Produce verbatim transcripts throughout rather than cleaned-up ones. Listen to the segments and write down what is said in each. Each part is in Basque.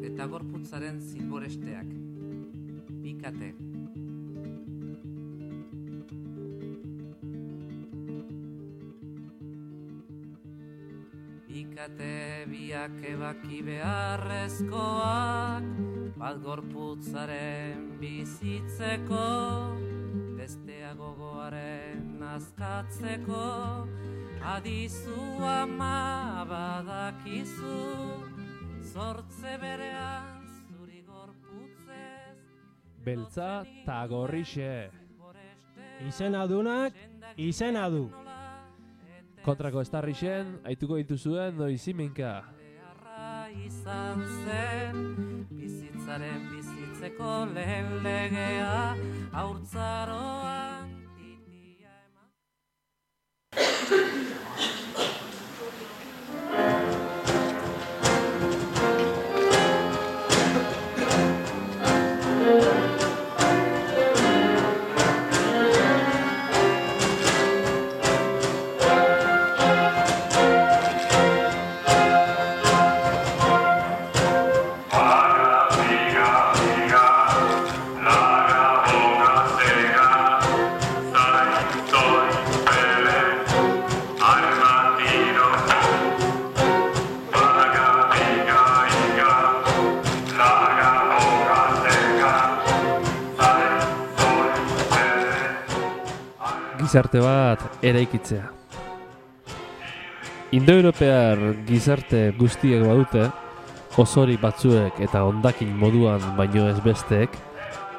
eta gorputzaren zilboresteak. Bikate. Bikate biak ebaki beharrezkoak, bat gorputzaren bizitzeko, bestea gogoaren azkatzeko, adizu ama badakizu, zortze berean zuri gorputzez. Beltza ta gorrixe. Izena dunak, izena du. Kontrako estarrixen, aituko dituzuen noiziminka. Izan zen, bizitzaren bizitzeko lehen legea, haurtzaroan titia eman. Gizarte bat eraikitzea. Indoeuropear gizarte guztiek badute, osori batzuek eta hondakin moduan baino ez besteek,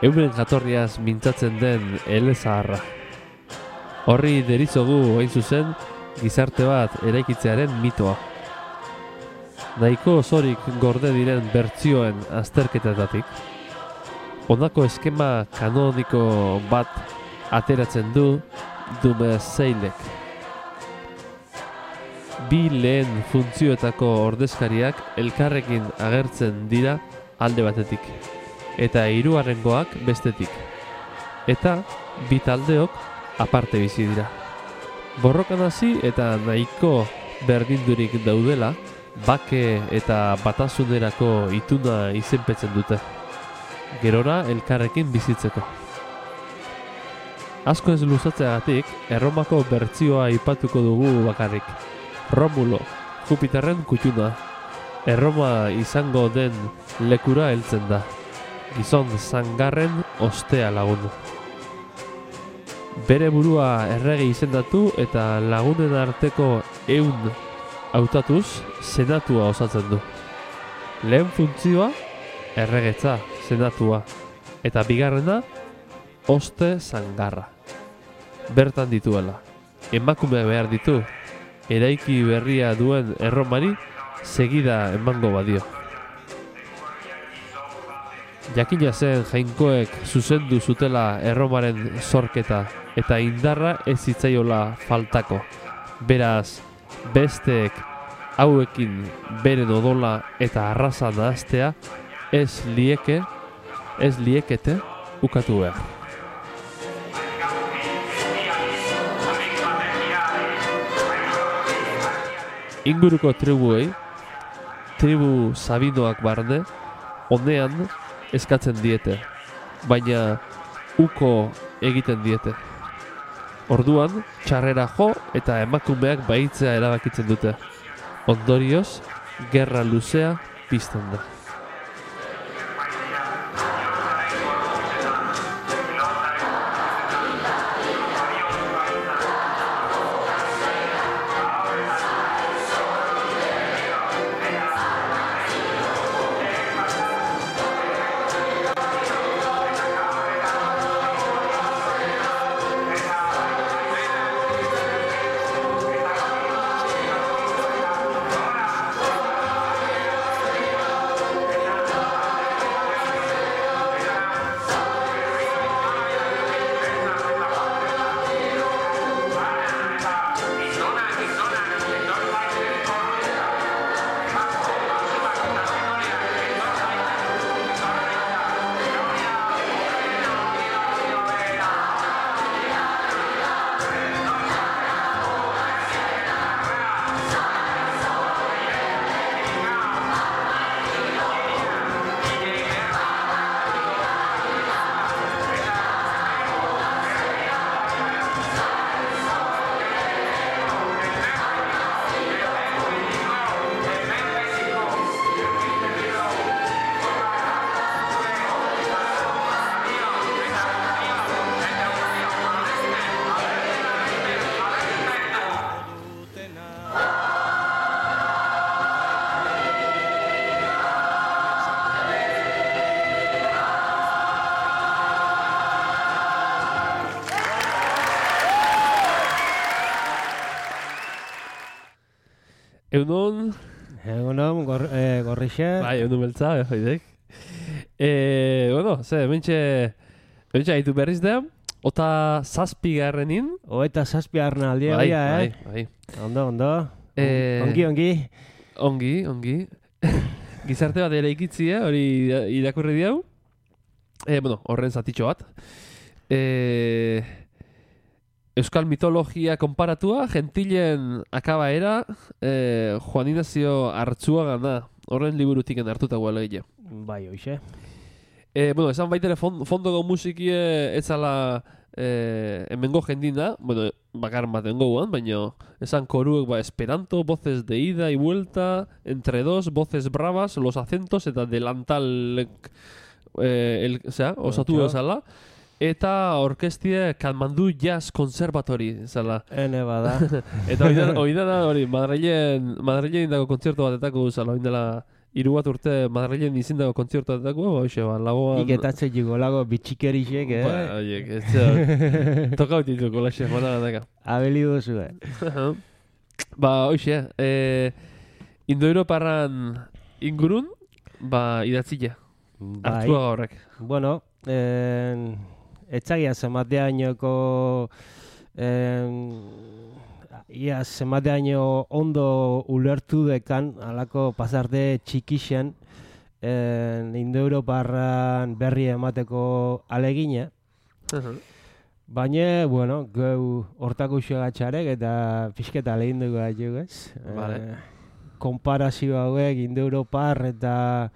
euren jatorriaz mintzatzen den elezaharra. Horri deritzogu hain zuzen gizarte bat eraikitzearen mitoa. Nahiko osorik gorde diren bertsioen azterketetatik, honako eskema kanoniko bat ateratzen du Dumezeilek. Bi lehen funtzioetako ordezkariak elkarrekin agertzen dira alde batetik, eta hirugarrengoak bestetik. Eta bi taldeok aparte bizi dira. Borrokan hasi eta nahiko berdindurik daudela, bake eta batasunerako ituna izenpetzen dute. Gerora elkarrekin bizitzeko. Asko ez luzatzeagatik, Erromako bertsioa aipatuko dugu bakarrik. Romulo, Jupiterren kutxuna, Erroma izango den lekura heltzen da. Gizon zangarren ostea lagun. Bere burua errege izendatu eta lagunen arteko ehun hautatuz senatua osatzen du. Lehen funtzioa, erregetza, senatua, eta bigarrena, oste zangarra. Bertan dituela, emakumeak behar ditu, eraiki berria duen Erromari segida emango badio. Jakina zen jainkoek zuzendu zutela Erromaren zorketa eta indarra ez zitzaiola faltako. Beraz, besteek hauekin beren odola eta arraza nahastea ez lieke, ez liekete ukatu behar. Inguruko tribuei, tribu sabinoak barne, honean eskatzen diete, baina uko egiten diete. Orduan, txarrera jo eta emakumeak bahitzea erabakitzen dute. Ondorioz, gerra luzea pizten da. Egunon... Egunon, gor, eh, gorrixe. Bai, egunon beltza, joidek. Eh, bueno, ze, mentxe... Mentxe, haitu berriz da, ota zazpi garrenin. Oeta zazpi arna aldia, Bai, eh? bai, bai. Ondo, ondo. Eh, Ongi, ongi. Ongi, ongi. Gizarte bat ere ikitzia, hori irakurri diau. Eh, bueno, horren zatitxo bat. Eh, Euskal mitologia konparatua, gentilen akabaera, eh, Juan Ignacio Artzuagana, horren liburutiken hartuta guala gile. Bai, hoxe. Eh, bueno, esan baitere fond, fondoko musikie etzala eh, hemengo jendina, bueno, bakar baten goguan, baina esan koruek ba esperanto, voces de ida y vuelta, entre dos, voces bravas, los acentos eta delantal eh, el, o sea, osatu ezala. Eta orkestie Katmandu Jazz Conservatory, zala. Ene bada. Eta hori da hori, Madrilen, Madrilen dago kontzertu batetako zala, hori dela hiru bat urte Madrilen izin dago kontzertu batetako, hoxe, ba, lagoan... Iketatze jigo lago bitxikerixek, eh? Ba, oiek, ez da, toka utituko laxe, mana gataka. Abeli duzu, eh? Ba, hoxe, eh, Indo-Europarran ingurun, ba, idatzila. Bai. Artzuaga horrek. Bueno, eh, etzagia zemateainoko ia zemateaino ondo ulertu dekan alako pasarte txikixen Indo-Europarran berri emateko alegina. Baina, bueno, gau hortako usuagatxarek eta pixketa lehin dugu gaitu, ez? Vale. Eh, Konparazio hauek Indo-Europar eta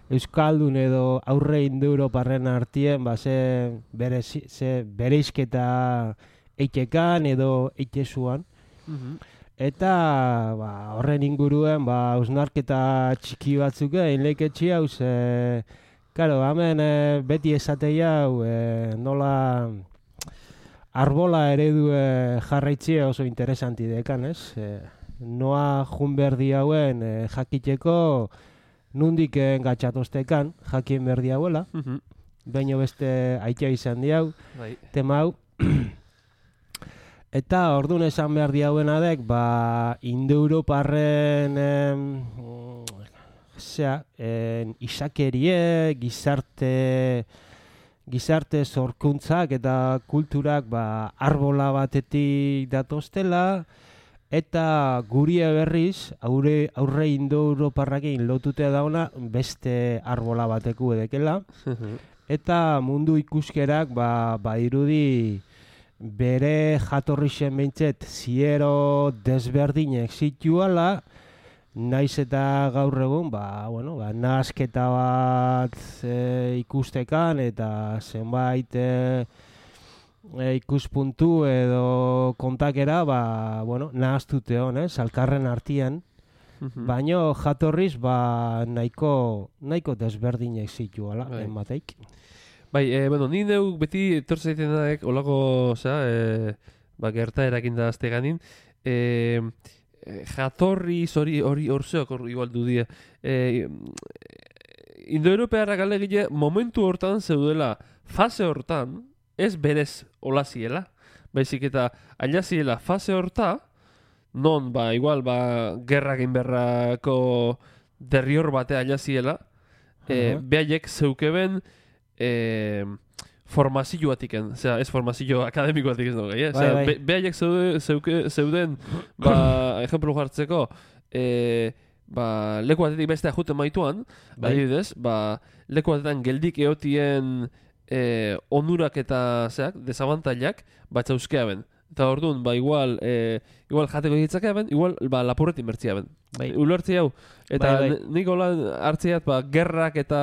Euskaldun edo aurre Indo-Europarren artien, ba, ze, bere, ze bereizketa eitekan edo eitezuan. Mhm. Eta ba, horren inguruen ba, hausnarketa txiki batzuk egin leiketxi hau, ze, karo, hemen e, beti esateia hau, e, nola arbola eredu e, jarraitzia oso interesanti dekan, ez? E, noa junberdi hauen e, jakiteko nundik engatxatostekan, jakien berdi hauela, Mhm. baino beste aitea izan diau, Bai. tema hau. Eta orduan esan behar diauena dek, ba, Indo-Europarren em, zera, en, izakerie, gizarte, gizarte zorkuntzak eta kulturak ba, arbola batetik datoztela, eta gurie berriz, aurre, aurre Indo-Europarrakin lotute dauna beste arbola bateku edekela. Eta mundu ikuskerak ba, ba irudi bere jatorrixen behintzet ziero desberdinek zituala, naiz eta gaur egun, ba, bueno, ba, nahasketa bat e, ikustekan eta zenbait e, e, ikuspuntu edo kontakera, ba, bueno, nahaztute hon, ez, alkarren artian, baino jatorriz, ba, nahiko, nahiko desberdinek zituala, Bai. enbateik. Bai, e, bueno, ni neuk beti etortzen zaiten daek, olako, osea, e, ba, gerta erakin da azte ganin, e, e, jatorri hori hori orzeok hor igual du die. E, Indo-Europearrak alegile momentu hortan zeudela, fase hortan, ez berez olaziela, baizik eta ailaziela fase horta, non, ba, igual, ba, gerrakin berrako derrior batea ailaziela, e, Uh-huh. behaiek zeukeben eh, formazio batiken, osea, ez formazio akademiko batik ez dugu, eh? Bai, bai. Be, behaiek zeude, zeuke, zeuden, ba, ejemplu jartzeko, eh, ba, leku batetik bestea juten maituan, Bai. adibidez, ba, leku batetan geldik eotien eh, onurak eta, zeak, desabantailak, bat zauzkeaben. Eta orduan, ba, igual, eh, igual jateko ditzakeaben, igual, ba, lapurretin bertziaben. Bai. Ulertzi hau. Eta Bai, bai. ni- nik hola hartziat, ba, gerrak eta,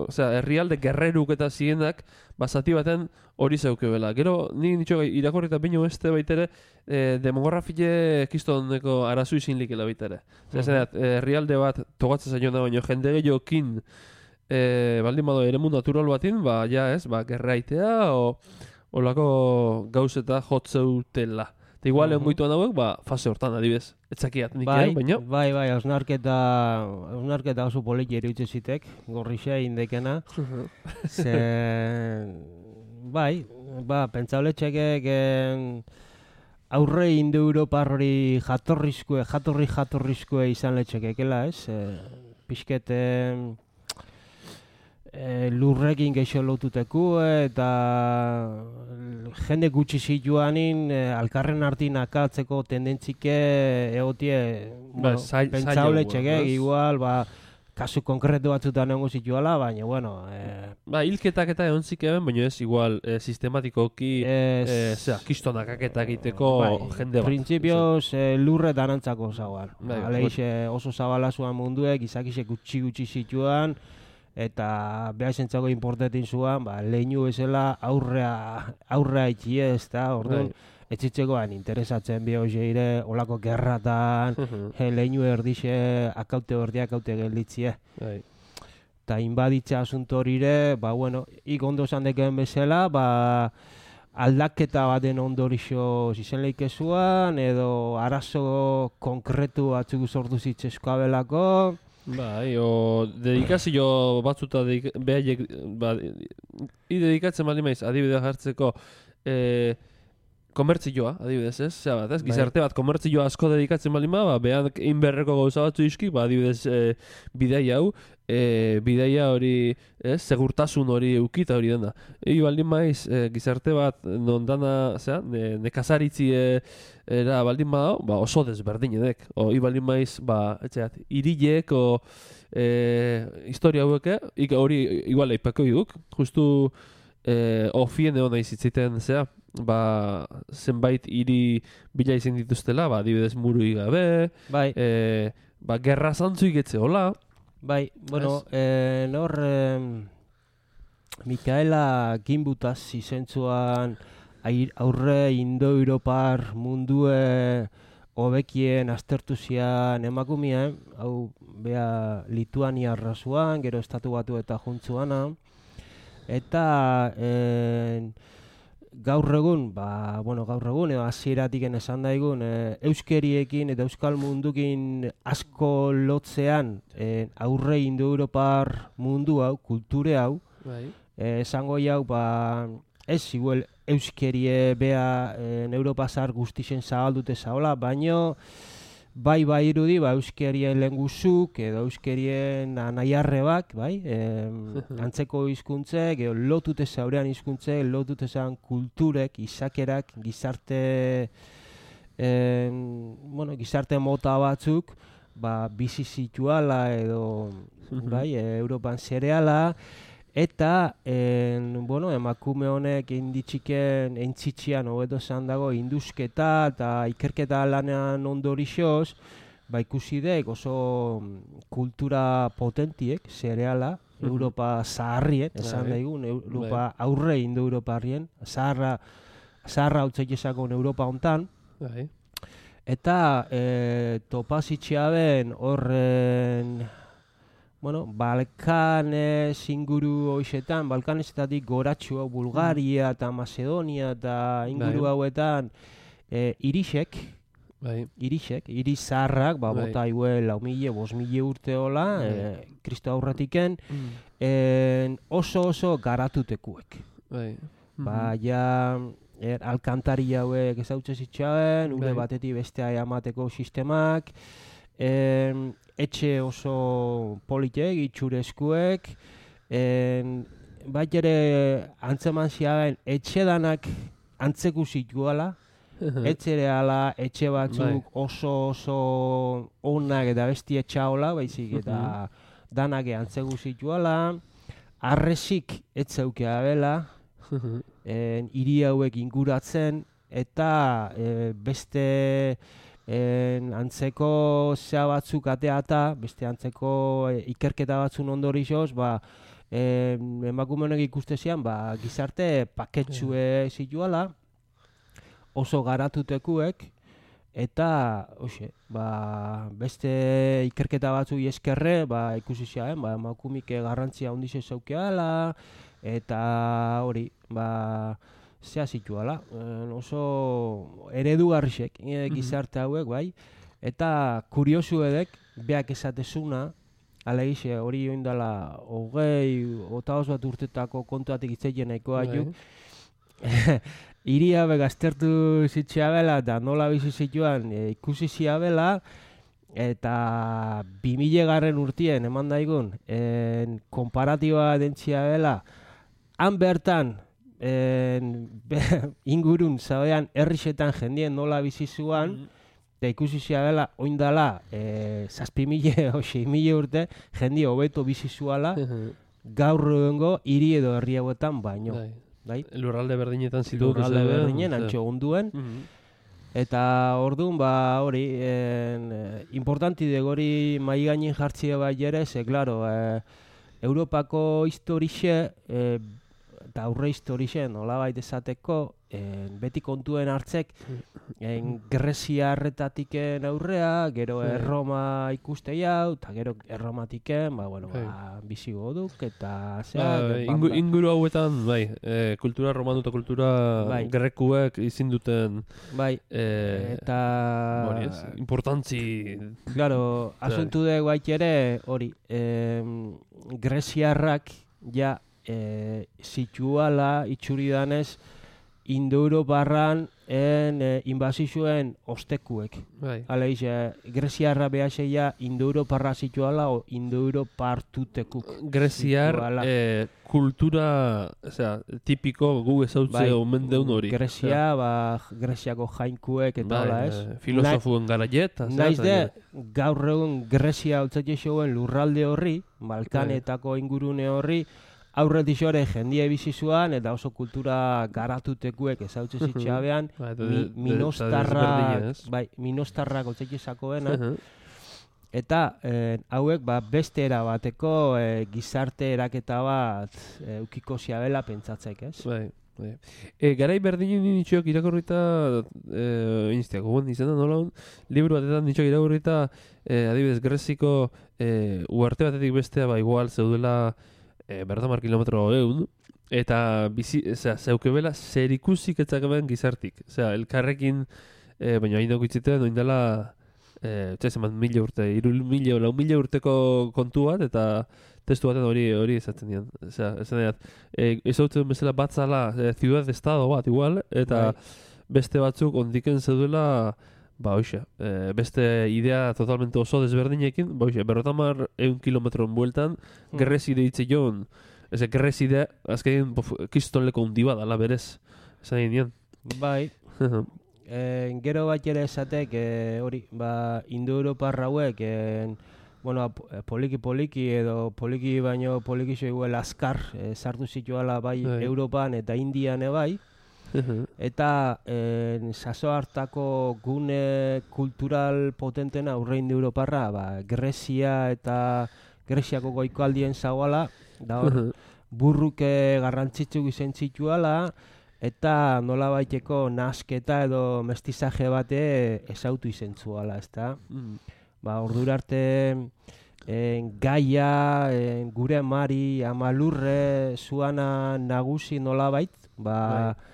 osea, herrialde gerreruk eta zienak, ba, zati baten hori zeukebela. Gero, ni nitxo irakorri eta bino beste baitere, eh, demografile kistoneko arazu izin likela baitere. Osea, Mhm. uh herrialde bat togatzen zaiona, baino jende gehiokin, eh, baldin bado eremu natural batin, ba, ja ez, ba, gerraitea, o, olako gauzeta jotzeutela. Eta igual Mhm. egon goituan hauek, ba, fase hortan adibidez. Etzakiat nik, Bai, eh, baina. bai, bai, hausnarketa, hausnarketa oso poliki eruditzen zitek, gorrixe indekena. Ze, bai, ba, pentsauletxekek aurre Indo-Europar hori jatorrizkoe, jatorri jatorrizkoe izan letxekekela, ez? E, pixket e, e, lurrekin geixo lotuteku eta jende gutxi zituanin e, alkarren artin akatzeko tendentzike egotie Ba, bueno, zail- pentsau zaila letxeke, ez? igual, ba, kasu konkretu batzutan egongo zituala, baina, bueno, e, Ba, hilketak eta egon zikemen, baina ez igual e, sistematikoki ez, e, zera, kistonak aketa egiteko jende bat. Printzipioz eh, lurre danantzako zauan. Bai, Aleix eh, oso zabala zuan munduek, izakisek gutxi gutxi zituan, eta behar zentzako importetin zuan, ba, leinu bezala aurrea, aurrea itxie ez da, orduan, etxitzekoan interesatzen bi hoxeire, olako gerratan, he, leinu erdixe, akaute berdiak akaute gelditzie. Bai. Eta inbaditza asunto horire, ba, bueno, ik ondo esan deken bezala, ba, aldaketa baten ondorixo izen leikezuan, edo arazo konkretu batzuk sortu zitzeskoa belako. Bai, o dedikazio batzuta dedik, behaiek, ba, i dedikatzen baldin maiz, adibidea jartzeko, e, komertzioa, adibidez, ez? Zea bat, ez? Gizarte bat komertzioa asko dedikatzen baldin ba, ba behan inberreko gauza batzu iski, ba, adibidez, e, bidaia hau, e, bidaia hori, ez? Segurtasun hori eukita hori dena. Egi baldin maiz, e, gizarte bat, non dana, zea, ne, nekazaritzi e, era baldin badao, ba, oso desberdin edek. O, i baldin maiz, ba, etxeat, irilek, o, e, historia haueke, ik hori igual aipako iduk, justu, e, ofien egon nahi zitziten, zea, ba, zenbait hiri bila izan dituztela, ba, adibidez murui gabe, Bai, e, ba, gerra zantzuik etze hola. bai, bueno, eh, nor eh, Mikaela Gimbutaz izentzuan aurre Indo-Europar mundue hobekien aztertu zian emakumien, hau bea Lituania razuan, gero estatu batu eta juntzuana, eta eh, gaur egun, ba, bueno, gaur egun, edo hasieratik esan daigun, e, euskeriekin eta euskal mundukin asko lotzean e, aurre Indo-Europar mundu hau, kulture hau, Bai. e, esango jau, ba, ez igual euskerie bea e, Europa zahar guztixen zabaldute zaola, baino bai bai irudi, ba, euskerien lehenguzuk edo euskerien anaiarrebak, bai, e, antzeko hizkuntzek, edo lotute zaurean hizkuntzek, lotute zaurean kulturek, izakerak, gizarte, e, bueno, gizarte mota batzuk, ba, bizi zituala edo, bai, e, Europan zereala, eta, en, bueno, emakume honek inditxiken, eintzitxian, hobeto esan dago, induzketa eta ikerketa lanean ondorixoz, ba ikusi dek oso kultura potentiek, zereala, Europa zaharrien, esan daigun, Europa aurre Indo-Europarrien, zaharra, zaharra hautzek esakon Europa hontan, Bai. eta e, topazitxea ben horren, bueno, Balkanes inguru hoixetan, Balkanezetatik goratxu hau Bulgaria eta Macedonia eta inguru Bai. hauetan e, irisek, Bai. irisek, iris zaharrak, ba, Bai. bota haue lau mile, bost mile urte hola, Bai. e, Kristo aurretiken, Mm. en, oso oso garatutekuek. Bai. Ba, ja, er, alkantari hauek ezautze zitzaben, ure Bai. batetik bestea eamateko sistemak, en, etxe oso politek, itxurezkuek, en, bat ere antzeman ziaben etxe danak antzeku zituala, etxere ala, etxe batzuk Bai. oso oso onak eta besti etxaola, baizik eta danak antzeku zituala, arresik etzeukea bela, en, hiri hauek inguratzen, eta e, beste en, antzeko zea batzuk ateata, beste antzeko e, ikerketa batzun ondorixoz, ba, e, emakume honek ikuste zian, ba, gizarte paketsue zituala, oso garatutekuek, eta, hoxe, ba, beste ikerketa batzuk eskerre, ba, ikusi zian, ba, emakumik garrantzia handize zaukeala, eta hori, ba, zea zituala, e, oso eredugarrisek e, gizarte hauek, bai, eta kuriosu edek, beak esatezuna, alegize, hori joindala, hogei, otaoz bat urtetako kontuatik itzeien nahikoa Bai. juk, iria begaztertu zitxeabela, eta nola bizi zituan e, ikusi ziabela, eta bi mila garren urtien eman daigun, en, konparatiba dentziabela, han bertan, en, be, ingurun zaudean herrixetan jendien nola bizi zuan, eta ikusi ziabela, oindala, e, zazpi mila o sei mila urte, jendi hobeto bizi zuala, gaur egungo hiri edo herri hauetan baino. Bai? Lurralde berdinetan zitu. Lurralde berdinen, antxo gunduen. Eta orduan, ba, hori, en, importanti de gori mai gainin jartzia bai ere, ze, klaro, e, Europako historixe, e, eta aurre historixe, nolabait esateko, en, beti kontuen hartzek, en, Greziarretatik aurrea, gero Erroma ikuste jau, eta gero Erromatiken, ba, bueno, ba, bizigoduk, eta zea... Ba, ingu, inguru hauetan, bai, e, kultura romanu eta kultura bai. Grekuek izin duten... Bai, e, eta... Hori ez, importantzi... Claro, asuntu dugu bait ere, hori, eh, Greziarrak, ja, eh, zituala, itxuridanez, Indo-Europarran en eh, inbazizuen ostekuek. Bai. Hala iz, eh, Greziarra behaseia Indo-Europarra zituala o Indo-Europartutekuk. Greziar eh, kultura, osea, tipiko gu ezautze bai. Omen deun hori. Grezia, ba, Greziako jainkuek eta hola bai, ez. Eh, filosofuen garaiet. Naiz de, gaur egun Grezia hautzatxe zegoen lurralde horri, Balkanetako ingurune horri, aurretik xore jendia bizizuan eta oso kultura garatutekuek ezautzen zitxabean, mi, minostarrak, bai, minostarrak otzeki zakoena, eta eh, hauek ba, beste erabateko eh, gizarte eraketa bat eh, ukiko ziabela pentsatzek, ez? Bai, bai. E, garai berdinen nitxoak irakurrita, eh, iniztiako guen izan da nola hon, liburu batetan nitxoak irakurrita, eh, adibidez, Greziko eh, uarte batetik bestea, ba, igual zeudela, E, bertamar kilometro egun, eta bizi, zera, zeukebela zer ikusik etzakaben gizartik. Zera, elkarrekin, e, baina hain dago itzitean, oin dela, e, txezen bat mila urte, iru mila, lau mila urteko kontu bat, eta testu baten hori hori ezatzen dian. Zera, esan diat, e, ezautzen bezala batzala, e, ciudad de estado bat, igual, eta bai. Beste batzuk ondiken zeduela, ba, oixa, e, beste idea totalmente oso desberdinekin, ba, oixa, berrotamar eun kilometron bueltan, mm. Gerrezide hitze joan, eze, gerrezide, azkein, kistonleko hundi bat, ala berez, esan dian. Bai, e, gero bat ere esatek, e, hori, ba, Indo-Europar hauek, e, bueno, poliki-poliki edo poliki baino poliki zoiguel azkar, e, sartu zituala bai, bai Europan eta Indian bai, eta eh, saso hartako gune kultural potentena aurre Indo-Europarra, ba, Grezia eta Greziako goikoaldien zagoala, da hor, burruke garrantzitsu izen zituala, eta nola baiteko nasketa edo mestizaje bate ezautu izen zuala, ezta? Mm. Ba, ordura arte en, gaia, en, gure mari, amalurre, zuana nagusi nola bait, ba, bai.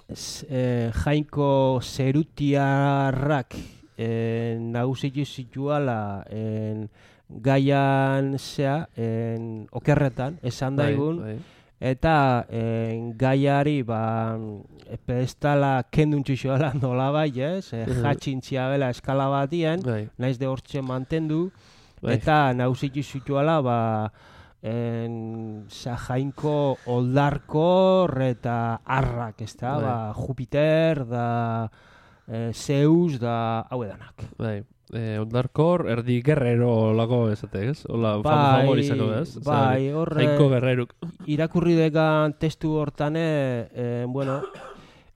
Eh, jainko zerutiarrak eh, nagusitu zituala en, gaian zea, en, okerretan, esan daigun, bai, bai. Eta en, gaiari ba, pedestala kenduntzu zoala nola bai, ez? Eh, jatxintzia bela eskala batien, bai. Naiz de hortxe mantendu, bai. Eta nagusitu zituala, ba, en jainko oldarkor eta arrak, ez da, ba, Jupiter, da e, Zeus, da hau edanak. Bai, e, oldarkor, erdi guerrero lago ezate, ez? Ola, bai, favorizako, ez? Bai, horre, jainko guerreruk. Irakurri dekan testu hortane, e, bueno,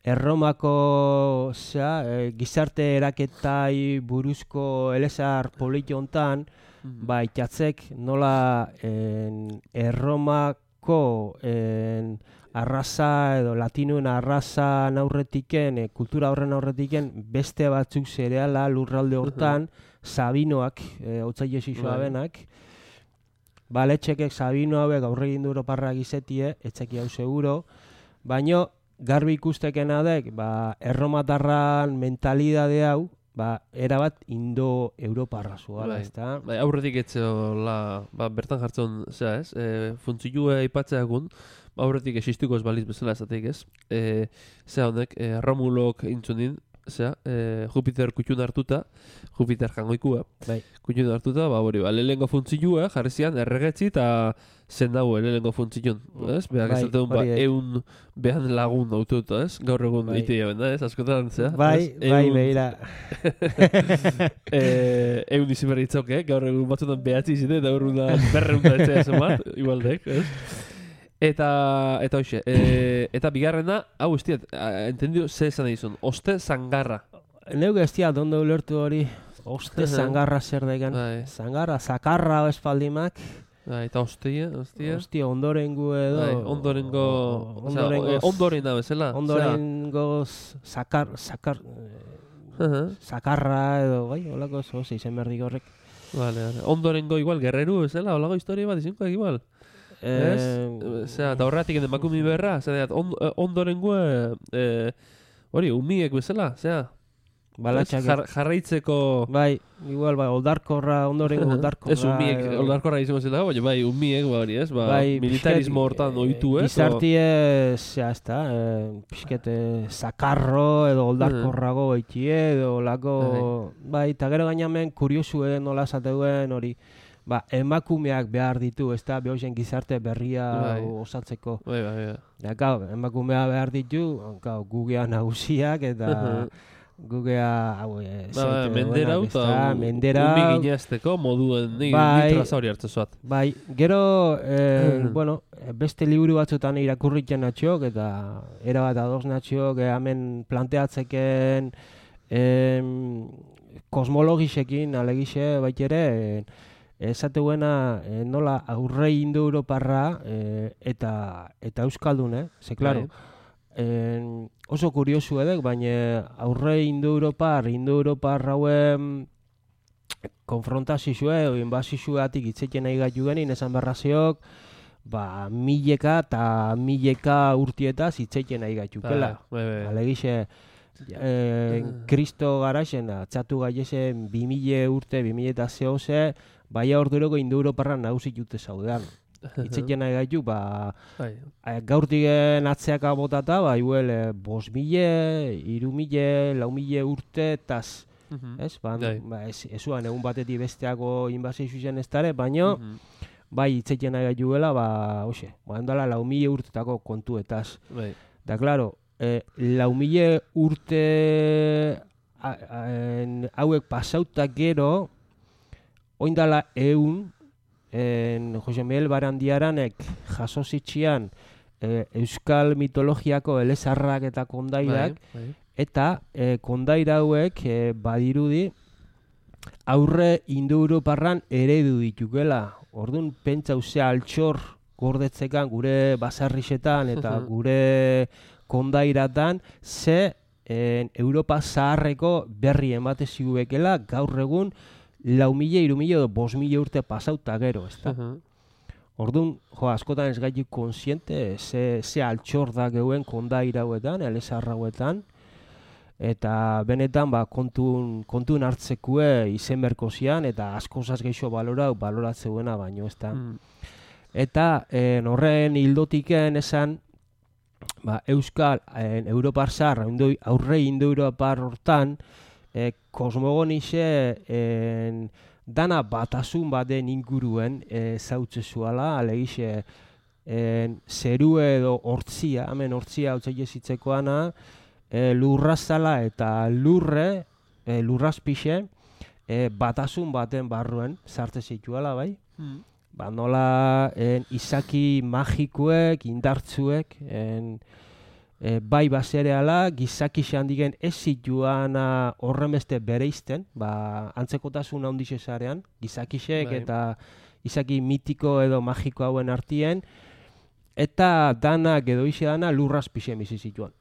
Erromako zera, e, gizarte eraketai buruzko elezar politi hontan, Mm-hmm. Ba, itxatzek nola en, Erromako en, arraza edo latinuen arraza aurretiken, e, kultura horren aurretiken, beste batzuk zereala lurralde hortan, uh-huh. Sabinoak, e, otzaile zizua benak, ba, letxekek Sabino hauek aurre gindu Europarrak izetie, etxeki hau seguro, baino garbi ikustekena dek, ba, erromatarran mentalidade hau, ba, erabat indo-europarra zuala, Bai. ezta? Bai, aurretik etzeola, ba, bertan jartzen, zera, ez? E, funtzilua aipatzea egun, ba, aurretik existiko ez baliz bezala esateik, ez? E, zera honek, e, Romulok intzunin, zera, e, Jupiter kutxun hartuta, Jupiter jangoikua, Bai. kutxun hartuta, ba, hori, ba, lehenengo funtzilua jarri zian erregetzi eta zen dago lehenengo funtzilun, ez? Beak Bai, esaten ba, hori, eun behan lagun autota, ez? Gaur egun Bai. ite jaben da, ez? Askotan, zera? Bai, ez? bai, Ehun- behira. eh, egun izi berri itzok, eh? Gaur egun batzutan behatzi izite, eta gaur egun berreun da etzea esan bat, igualdek, ez? Eta, eta hoxe, e, eta bigarrena, hau ez diat, entendio, ze esan egizun, oste zangarra. Neu gestia, dondo ulertu hori, oste zangarra zer degen. Bai. Zangarra, zakarra espaldimak, Bai, eta ostia, ostia. hostia, ondorengo edo... Bai, ondorengo, o- osea, ondorengo... e, ondorena bezala. Ondorengo zakar, zakar, Osea, aha, zakarra edo, bai, holako zo, izen berdik horrek. Vale, vale. Ondorengo igual, guerreru bezala, holago historia bat izinko igual. Ez? Osea, eta horretik emakumi berra, zera, on, ondorengo, eh, hori, umiek bezala, zera. Balatxak. Jar, jarraitzeko... Bai, igual, bai, oldarkorra, ondorengo oldarkorra. Ez umiek, edo- oldarkorra izango zela, baina bai, umiek, ba hori, ez? Ba, Bai, militarismo pixket, hortan eh, ohitu, ez? Gizartie, zea, ez da, eh, pixket, eh, zakarro edo oldarkorrago eitie edo lako... Bai, eta gero gainamen kuriosu edo nola esateuen hori, ba, emakumeak behar ditu, ez da, behozen gizarte berria Bai. osatzeko. Bai, bai, bai. Da, gau, emakumea behar ditu, gau, gugea nagusiak eta... Gugea, hau, e, Ba, ba, mendera hau, eta mendera umi ginezteko moduen ni, Bai. ni traza hori hartzen zuat. Bai, gero, eh, bueno, beste liburu batzutan irakurritzen natxok, eta erabat ados natxok, eh, hemen planteatzeken em, kosmologisekin, alegixe, baitere, eh, esateguena eh, nola aurre indo-europarra eh, eta, eta euskaldun, eh? Ze, klaro, en, oso kuriosu edek, baina aurre indo-europar, indo-europar hauen konfrontazioa edo inbazioatik itzeken nahi gaitu genin, esan berraziok, ba, mileka eta mileka urtietaz itzeken nahi gaitukela. Bai, bai. Alegixe, eh, Kristo garaxen, atzatu gaiesen bi mila urte, bi mila eta zehose, baina orduroko indo-europarra nagusi jute zaudean. Itzeken nahi gaitu, ba, Bai. gaurtigen atzeaka botata, ba, iguel, eh, bos mile, iru mile, lau mile urte, taz, ez? Ba, Bai. ba, ez, ezuan egun batetik besteako inbazio zuzen ez dara, baina, bai, itzeken nahi gaituela, ba, hoxe, ba, handala lau mile urtetako kontuetaz. Bai. Da, klaro, eh, lau mile urte a, a, en, hauek pasautak gero, oindala eun, en, Jose Miguel Barandiaranek jaso zitxian eh, euskal mitologiako elezarrak eta kondairak, Bai, bai. eta eh, kondaira hauek eh, badirudi aurre indo-europarran eredu ditukela. Orduan, pentsa uzea altxor gordetzekan gure basarrixetan eta gure kondairatan, ze en, Europa zaharreko berri emate ziguekela gaur egun lau mila, iru mila edo bos mila urte pasauta gero, ez da? Orduan, jo, askotan ez gaitu konsiente, ze, ze altxor da geuen kondaira hauetan, elezarra hauetan, eta benetan ba, kontun, kontun hartzekue izen berko zian, eta askozaz geixo balorau, baloratzeuena baino, ez da? Eta en, horren hildotiken esan, ba, Euskal, en, Europar zahar, aurre indo-europar hortan, e, kosmogonixe en, dana batasun baten inguruen e, zautze zuala, alegixe en, zeru edo hortzia, hemen hortzia hau zitzekoana, e, lurrazala eta lurre, e, lurrazpixe, e, batasun baten barruen sartze zituela, bai? Ba, nola en, izaki magikuek, indartzuek, en, e, bai basereala, gizaki handigen ez zituana horremeste bereizten, ba, antzekotasun handixe zarean, gizakixek Bai. eta izaki mitiko edo magiko hauen artien, eta danak edo ixe dana lurrazpixe bizi zituan.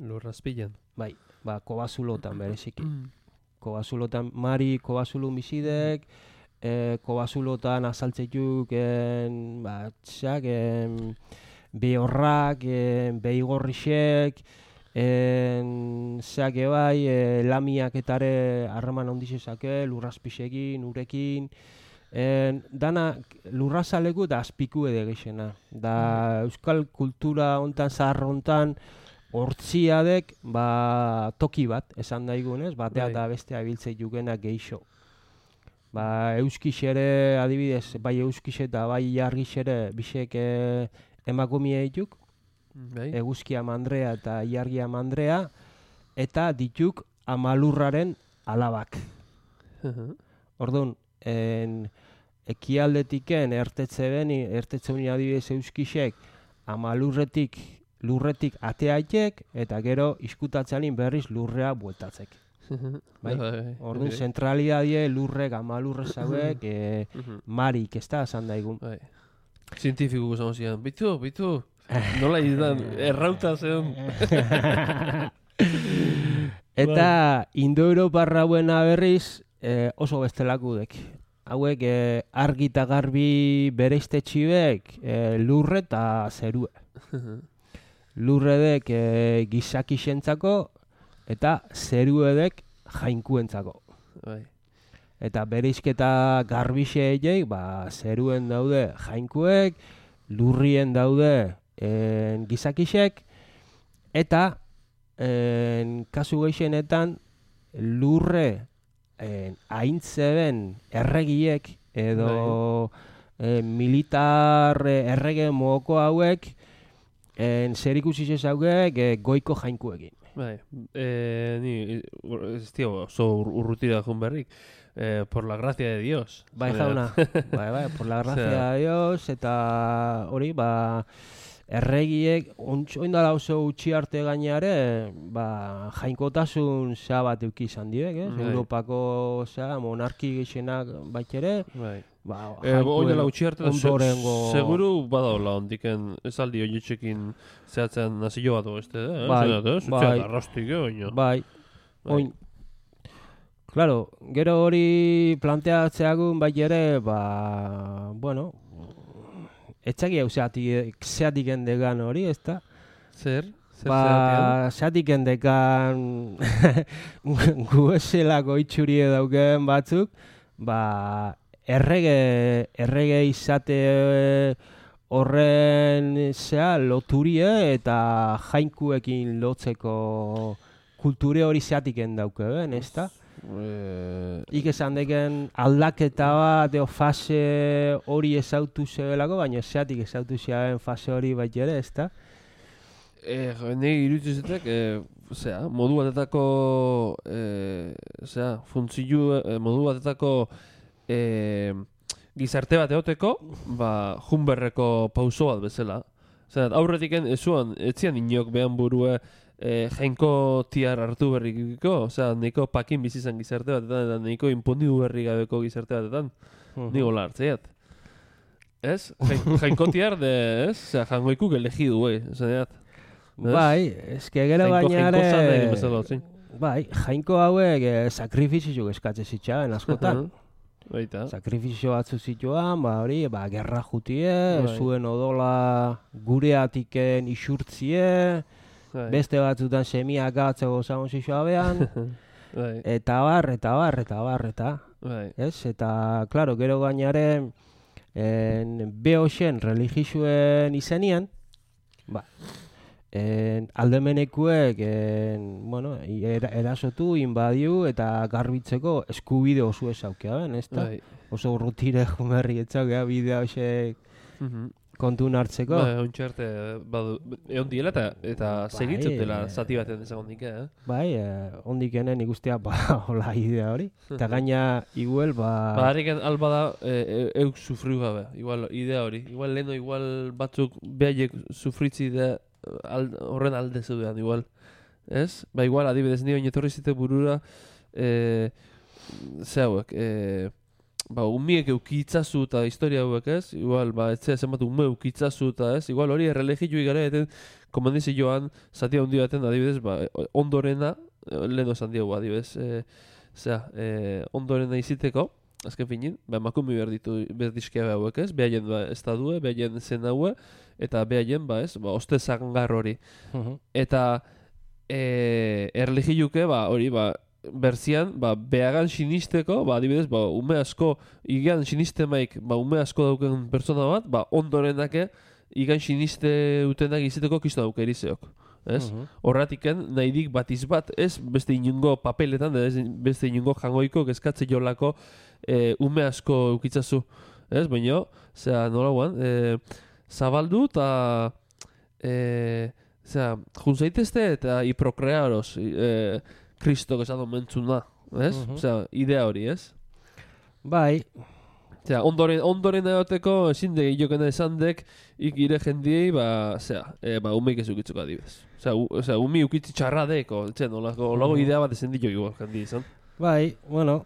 Lurrazpilan. Bai, ba, kobazulotan bereziki. Kobazulotan, Mari kobazulu bizidek, e, kobazulotan azaltzeiuk, en, ba, txak, en, behorrak, en, behigorrixek, En, zeak bai, e, lamiak etare harreman ondizezake, lurrazpisekin, urekin, en, dana lurrazaleku da azpiku edo gexena. Da euskal kultura hontan, zahar hontan, hortziadek, ba, toki bat, esan daigunez, batea eta bestea biltzei jukenak geixo. Ba, euskixere, adibidez, bai euskixe eta bai jargixere, bisek e, emakumie dituk, bai. Eguzkia Mandrea eta Iargia Mandrea, eta dituk Amalurraren alabak. Orduan, en, ekialdetiken ertetze beni, ertetze beni adibidez euskixek, Amalurretik, lurretik ateaitek, eta gero iskutatzeanin berriz lurrea bueltatzek. Bai? Orduan, zentralidadie lurrek, Amalurre zauek, e, marik, ez da, esan daigun. Zientifiko guzan zian, bitu, bitu, nola izan, errauta zen. Eta Indo-Europarra buena berriz eh, oso bestelakudek. Hauek eh, argi eta garbi bereizte txibek eh, lurre eta zerue. Lurredek eh, gizakixentzako eta zeruedek jainkuentzako. Bai. Eta bereizketa garbixeei, ba, zeruen daude jainkuek, lurrien daude en, gizakixek, eta en, kasu gehienetan lurre en, aintzeben erregiek edo en, militar errege mogoko hauek en, zer ikusi zezauek e, goiko jainkuekin. Bai, e, ni, ez dio, oso urrutira jun berrik. Eh, por la gracia de Dios. Bai, jauna. Bai, bai, por la gracia de Dios, eta hori, ba, erregiek, oindala oso utxi arte gainare, ba, jainkotasun zea bat euki izan direk, eh? Bai. Europako, zea, monarki gexenak baitere, bai. Ba, eh, oindala utxi arte, ondorengo... Se, seguru badaola, ondiken, ez aldi oietxekin zehatzen nazio bat oeste, eh? Bai, bai. Zuzeat, arrostik, oino. Bai, oin... Claro, gero hori planteatzeagun bai ere, ba, bueno, etxaki hau zeatik endekan hori, ez da? Zer? Zer ba, zeatik endekan gueselako itxurie dauken batzuk, ba, errege, errege izate horren zea loturie eta jainkuekin lotzeko kulture hori zeatik endauke, ben, ez da? Eh, Ik esan deken aldaketa bat eo fase hori ezautu zebelako, baina zeatik ezautu zeaben fase hori bat ere, ez da? Eh, Negi iruditzen eh, zera, modu batetako, eh, zera, funtzilu, eh, modu batetako eh, gizarte bat eoteko, ba, junberreko pauso bat bezala. Zera, aurretik ezuan, etzian inok behan burue, E, jainko tiar hartu berrikiko, osea, neiko pakin bizizan gizarte batetan, eta neiko imponidu berri gabeko gizarte batetan, uh-huh. Nigo lartzeat. Ez? Jainko tiar de, ez? Osea, jangoikuk elegidu, bai, esaneat. Bai, eske gero bainare... Jainko bai, jainko hauek eh, sakrifizio eskatze zitxaben askotan. Uh-huh. Baita. Sakrifizio batzu zituan, ba hori, ba, gerra jutie, bai. Zuen odola gureatiken isurtzie, beste batzutan semiak gatzeko zaun zizua behan, eta bar, eta bar, eta bar, eta, ez? Eta, klaro, gero gainaren, behoxen religizuen izenien, ba, en, aldemenekuek, en, bueno, er, erasotu, inbadiu, eta garbitzeko eskubide oso ezaukea ben, ez da? Oso urrutire jumerri etzaukea bidea hoxek, uh-huh. Kontun hartzeko. Ba, ontxarte, badu, egon diela eta, eta bai, segitzutela zati baten ezagon dike, eh? Bai, eh, ondikenen ikustea, ba, hola idea hori. Eta gaina, igual, ba... Ba, harriken alba da, e, euk sufriu gabe, igual, idea hori. Igual leheno, igual batzuk behaiek sufritzi da alde, horren alde zeudean, igual. Ez? Ba, igual, adibidez, nio inetorri zite burura, e, ze hauek, e, ba, umiek eukitzazu eta historia hauek, ez? Igual, ba, ez zenbat ume eukitzazu eta, ez? Igual, hori errelegio igara eten, komandizi joan, zati handi baten, adibidez, ba, ondorena, leheno esan diegu, adibidez, e, zera, e, ondorena iziteko, azken finin, ba, emakumi behar ditu, behar dizkia hauek, ez? Behaien, ba, estadue, behaien zen haue, eta behaien, ba, ez? Ba, oste zangar hori. Uh-huh. Eta, e, erlijiuke, ba, hori, ba, berzian, ba, behagan sinisteko, ba, adibidez, ba, ume asko, igan sinistemaik, ba, ume asko dauken pertsona bat, ba, ondorenake, igan siniste utenak izeteko kisto dauke erizeok. Ez? Mhm. Horratiken, nahidik batiz bat, ez beste inungo papeletan, ez beste inungo jangoiko kezkatze jolako e, ume asko eukitzazu. Ez? Baina, zera, nola guan, e, zabaldu eta e, zera, juntzaitezte eta iprokrearos e, kristok esan mentzuna. Ez? Mhm. Zera, idea hori, ez? Bai, Zera, ondoren, ondoren egoteko ezin de jokena esan dek ikire jendiei, ba, zera, e, ba, umeik ez ukitzuko adibidez. Osea, u, osea, umi ukitzi txarra deko, txen, olako, olako idea bat ezen dio jo jendi izan. bai, bueno,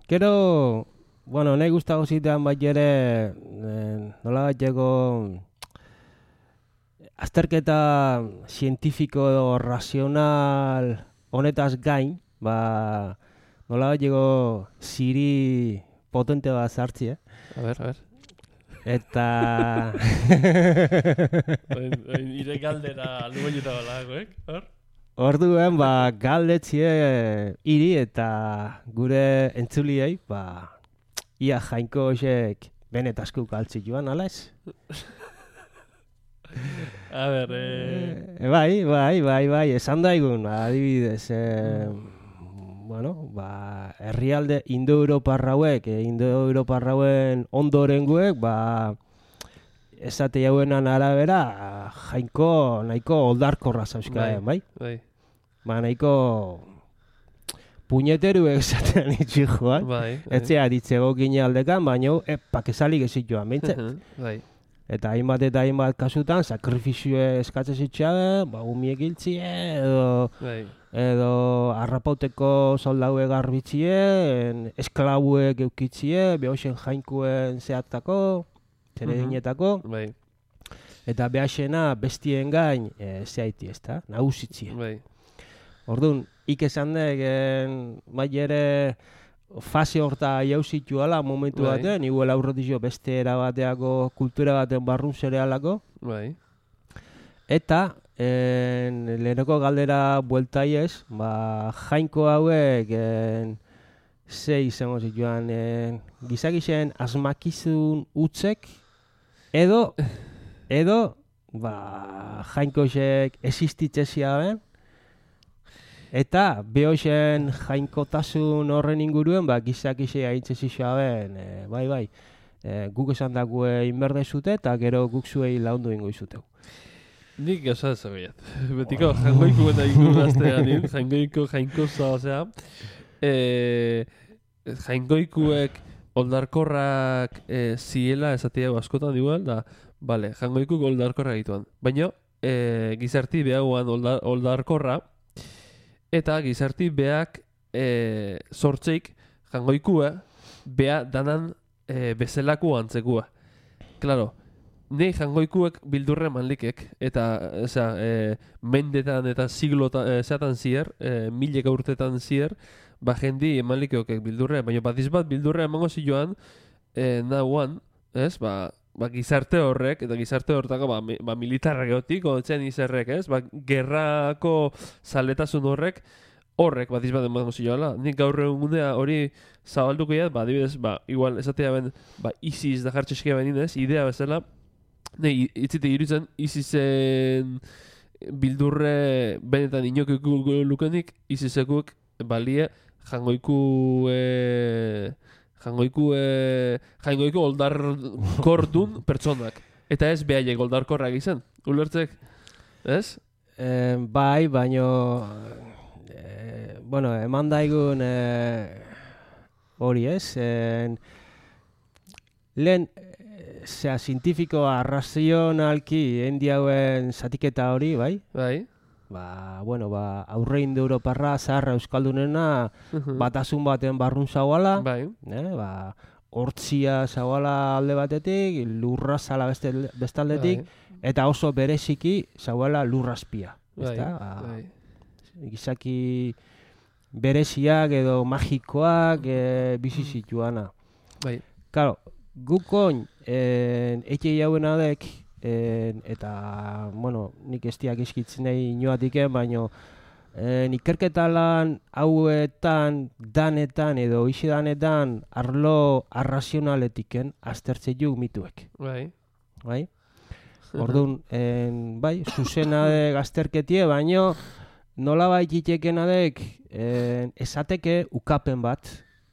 gero, bueno, nahi gustago zitean bat ere, eh, nola bat jego, azterketa zientifiko edo razional honetaz gain, ba, nola bat jego ziri potente bat zartzi, eh? A ber, a ber. Eta... Ire galdera lubaineta balagoek, hor? Orduen, ba, galdetzie hiri eta gure entzuliei, ba, ia jainko hoxek benetazko galtzi joan, ala ez? A ber, eh... E, bai, bai, bai, bai, esan daigun, adibidez, e, bueno, ba, herrialde indo-europarrauek, e, indo-europarrauen ondorenguek, ba, esate jauenan arabera, jainko nahiko oldarkorra zauzkaen, bai? Bai, Ba, nahiko puñeteruek esaten itxi joan. bai. Etzea ditzego gine aldekan, baina epak esalik ezit joan, behintzat. Bai, Eta hainbat eta hainbat kasutan, sakrifizioe eskatzen zitxabe, ba, umiek hiltzie, edo, bai. edo arrapauteko soldaue garbitzie, en, esklabuek eukitzie, behoxen jainkuen zehattako, zeredinetako, Bai, eta behaxena bestien gain e, zehaiti ezta, nagusitzie. bai. Orduan, ik esan dek, bai ere fase horta jauzituala momentu Bai. batean, igual aurretizio beste erabateako kultura baten barrun zerealako, Bai, eta en, leheneko galdera bueltaiez, ba, jainko hauek en, ze izango zituan, en, gizakixen asmakizun utzek, edo, edo, ba, jainkoxek existitzezia ben, eta behoxen jainkotasun horren inguruen, ba, gizakixe haintze zixaben, e, bai, bai, e, guk esan dakue inberde zute, eta gero guk zuei laundu ingo izuteu. nik gauza ezagoiat. Betiko, jangoiku eta ingurraztean, jangoiko jainkoza, osea, e, jaingoikuek oldarkorrak e, ziela esatea askotan igual, da, bale, jangoikuk oldarkorra egituan. Baina, e, gizarti behaguan oldar, oldarkorra, eta gizarti beak e, sortzeik jangoikua bea danan e, bezelaku antzekua. Claro, nei jangoikuek bildurre manlikek, eta osea, e, mendetan eta siglotan e, zeatan zier, e, mileka urtetan zier, ba jendi emanlikeokek bildurre, baina batiz bat bildurre emango zioan e, nahuan, ez, ba, ba gizarte horrek, eta gizarte hortako ba, mi, ba militarrak egotik, otzen izerrek, ez, ba gerrako zaletasun horrek, horrek batiz bat emango zioala. Nik gaur egunea hori zabalduko jat, ba adibidez, ba igual esatea ben, ba ISIS da jartxeskia benin, ez, idea bezala, nei, itzite irutzen ISISen bildurre benetan inokiko lukenik, ISISekuek balie jangoiku e, jangoiku e, jangoiku oldarkordun pertsonak. Eta ez behaiek oldarkorrak izan, ulertzek, ez? E, bai, baino, e, bueno, eman daigun e, hori ez, en, lehen, zera, zientifikoa, razionalki, endiauen zatiketa hori, bai? Bai. Ba, bueno, ba, aurre indo-europarra, zaharra euskaldunena, batasun baten barrun zauala, Bai. eh, ba, hortzia zauala alde batetik, lurra zala beste, bestaldetik, eta oso bereziki zauala lurrazpia. Bai. Ezta? Ba, Bai. gizaki bereziak edo magikoak e, bizi zituana. Bai. Claro, gukoin en, eke jauen adek, en, eta, bueno, nik estiak eskitzen nahi inoatiken, baino E, ikerketa lan hauetan, danetan edo isi danetan arlo arrazionaletiken aztertze juk mituek. Bai. Bai? Orduan, en, bai, zuzena de gazterketie, baino nola bai itekena dek en, esateke ukapen bat.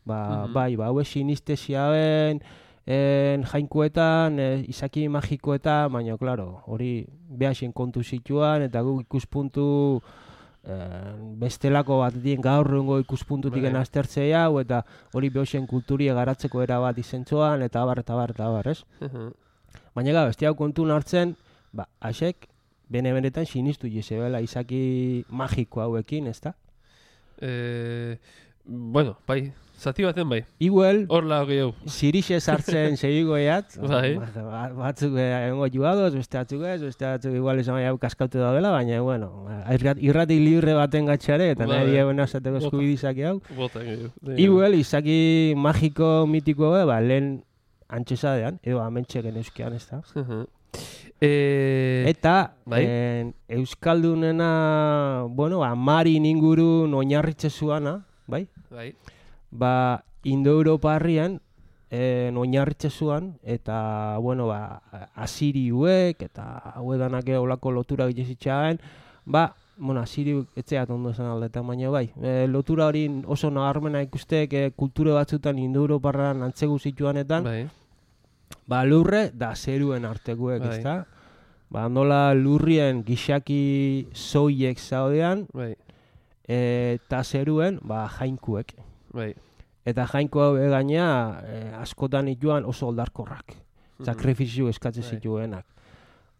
Ba, Mhm. bai, ba, hau sinestesia ben, en, jainkoetan, e, izaki magikoetan, baina, klaro, hori behasen kontu zituan, eta guk ikuspuntu eh, bestelako bat dien gaur egungo ikuspuntutik Bai. aztertzea hau, eta hori behasen kulturia garatzeko era bat izentzoan, eta abar, eta abar, eta abar, ez? Baina gara, beste hau kontun hartzen, ba, asek, bene-benetan sinistu jezebela izaki magiko hauekin, ezta? Eh, bueno, bai, zati baten bai. Igual, Hor lau gehiago. Zirixe sartzen segigoiat, Bai. ba- batzuk egongo jugadoz, beste batzuk ez, beste batzuk igual esan hau kaskautu daudela, baina, bueno, irrat- irrati libre baten gatxare, eta Bai. nahi diaguna esateko Bota. eskubidizaki hau. Bota gehiago. Igual, izaki magiko mitiko, ba, lehen antxesadean, edo amentxeken euskean, ez da? eh, Eta, bai. en, Euskaldunena, bueno, amarin ingurun oinarritze zuana, bai? bai. Ba, Indo-Europarrian eh, oinarritze zuan, eta, bueno, ba, asiriuek, eta hauedanak olako lotura gitezitxaen, ba, bueno, asiriuk etzeat ondo zen aldetan, baina bai, e, lotura hori oso nabarmena ikustek e, kulture batzutan Indo-Europarran antzegu zituanetan, Bai. ba, lurre da zeruen artekuek, Bai. ezta? Ba, nola lurrien gixaki zoiek zaudean, Bai. eta zeruen, ba, jainkuek. Bai. Eta jainko hau gaina eh, askotan ituan oso oldarkorrak. Sakrifizio eskatzen Bai. zituenak.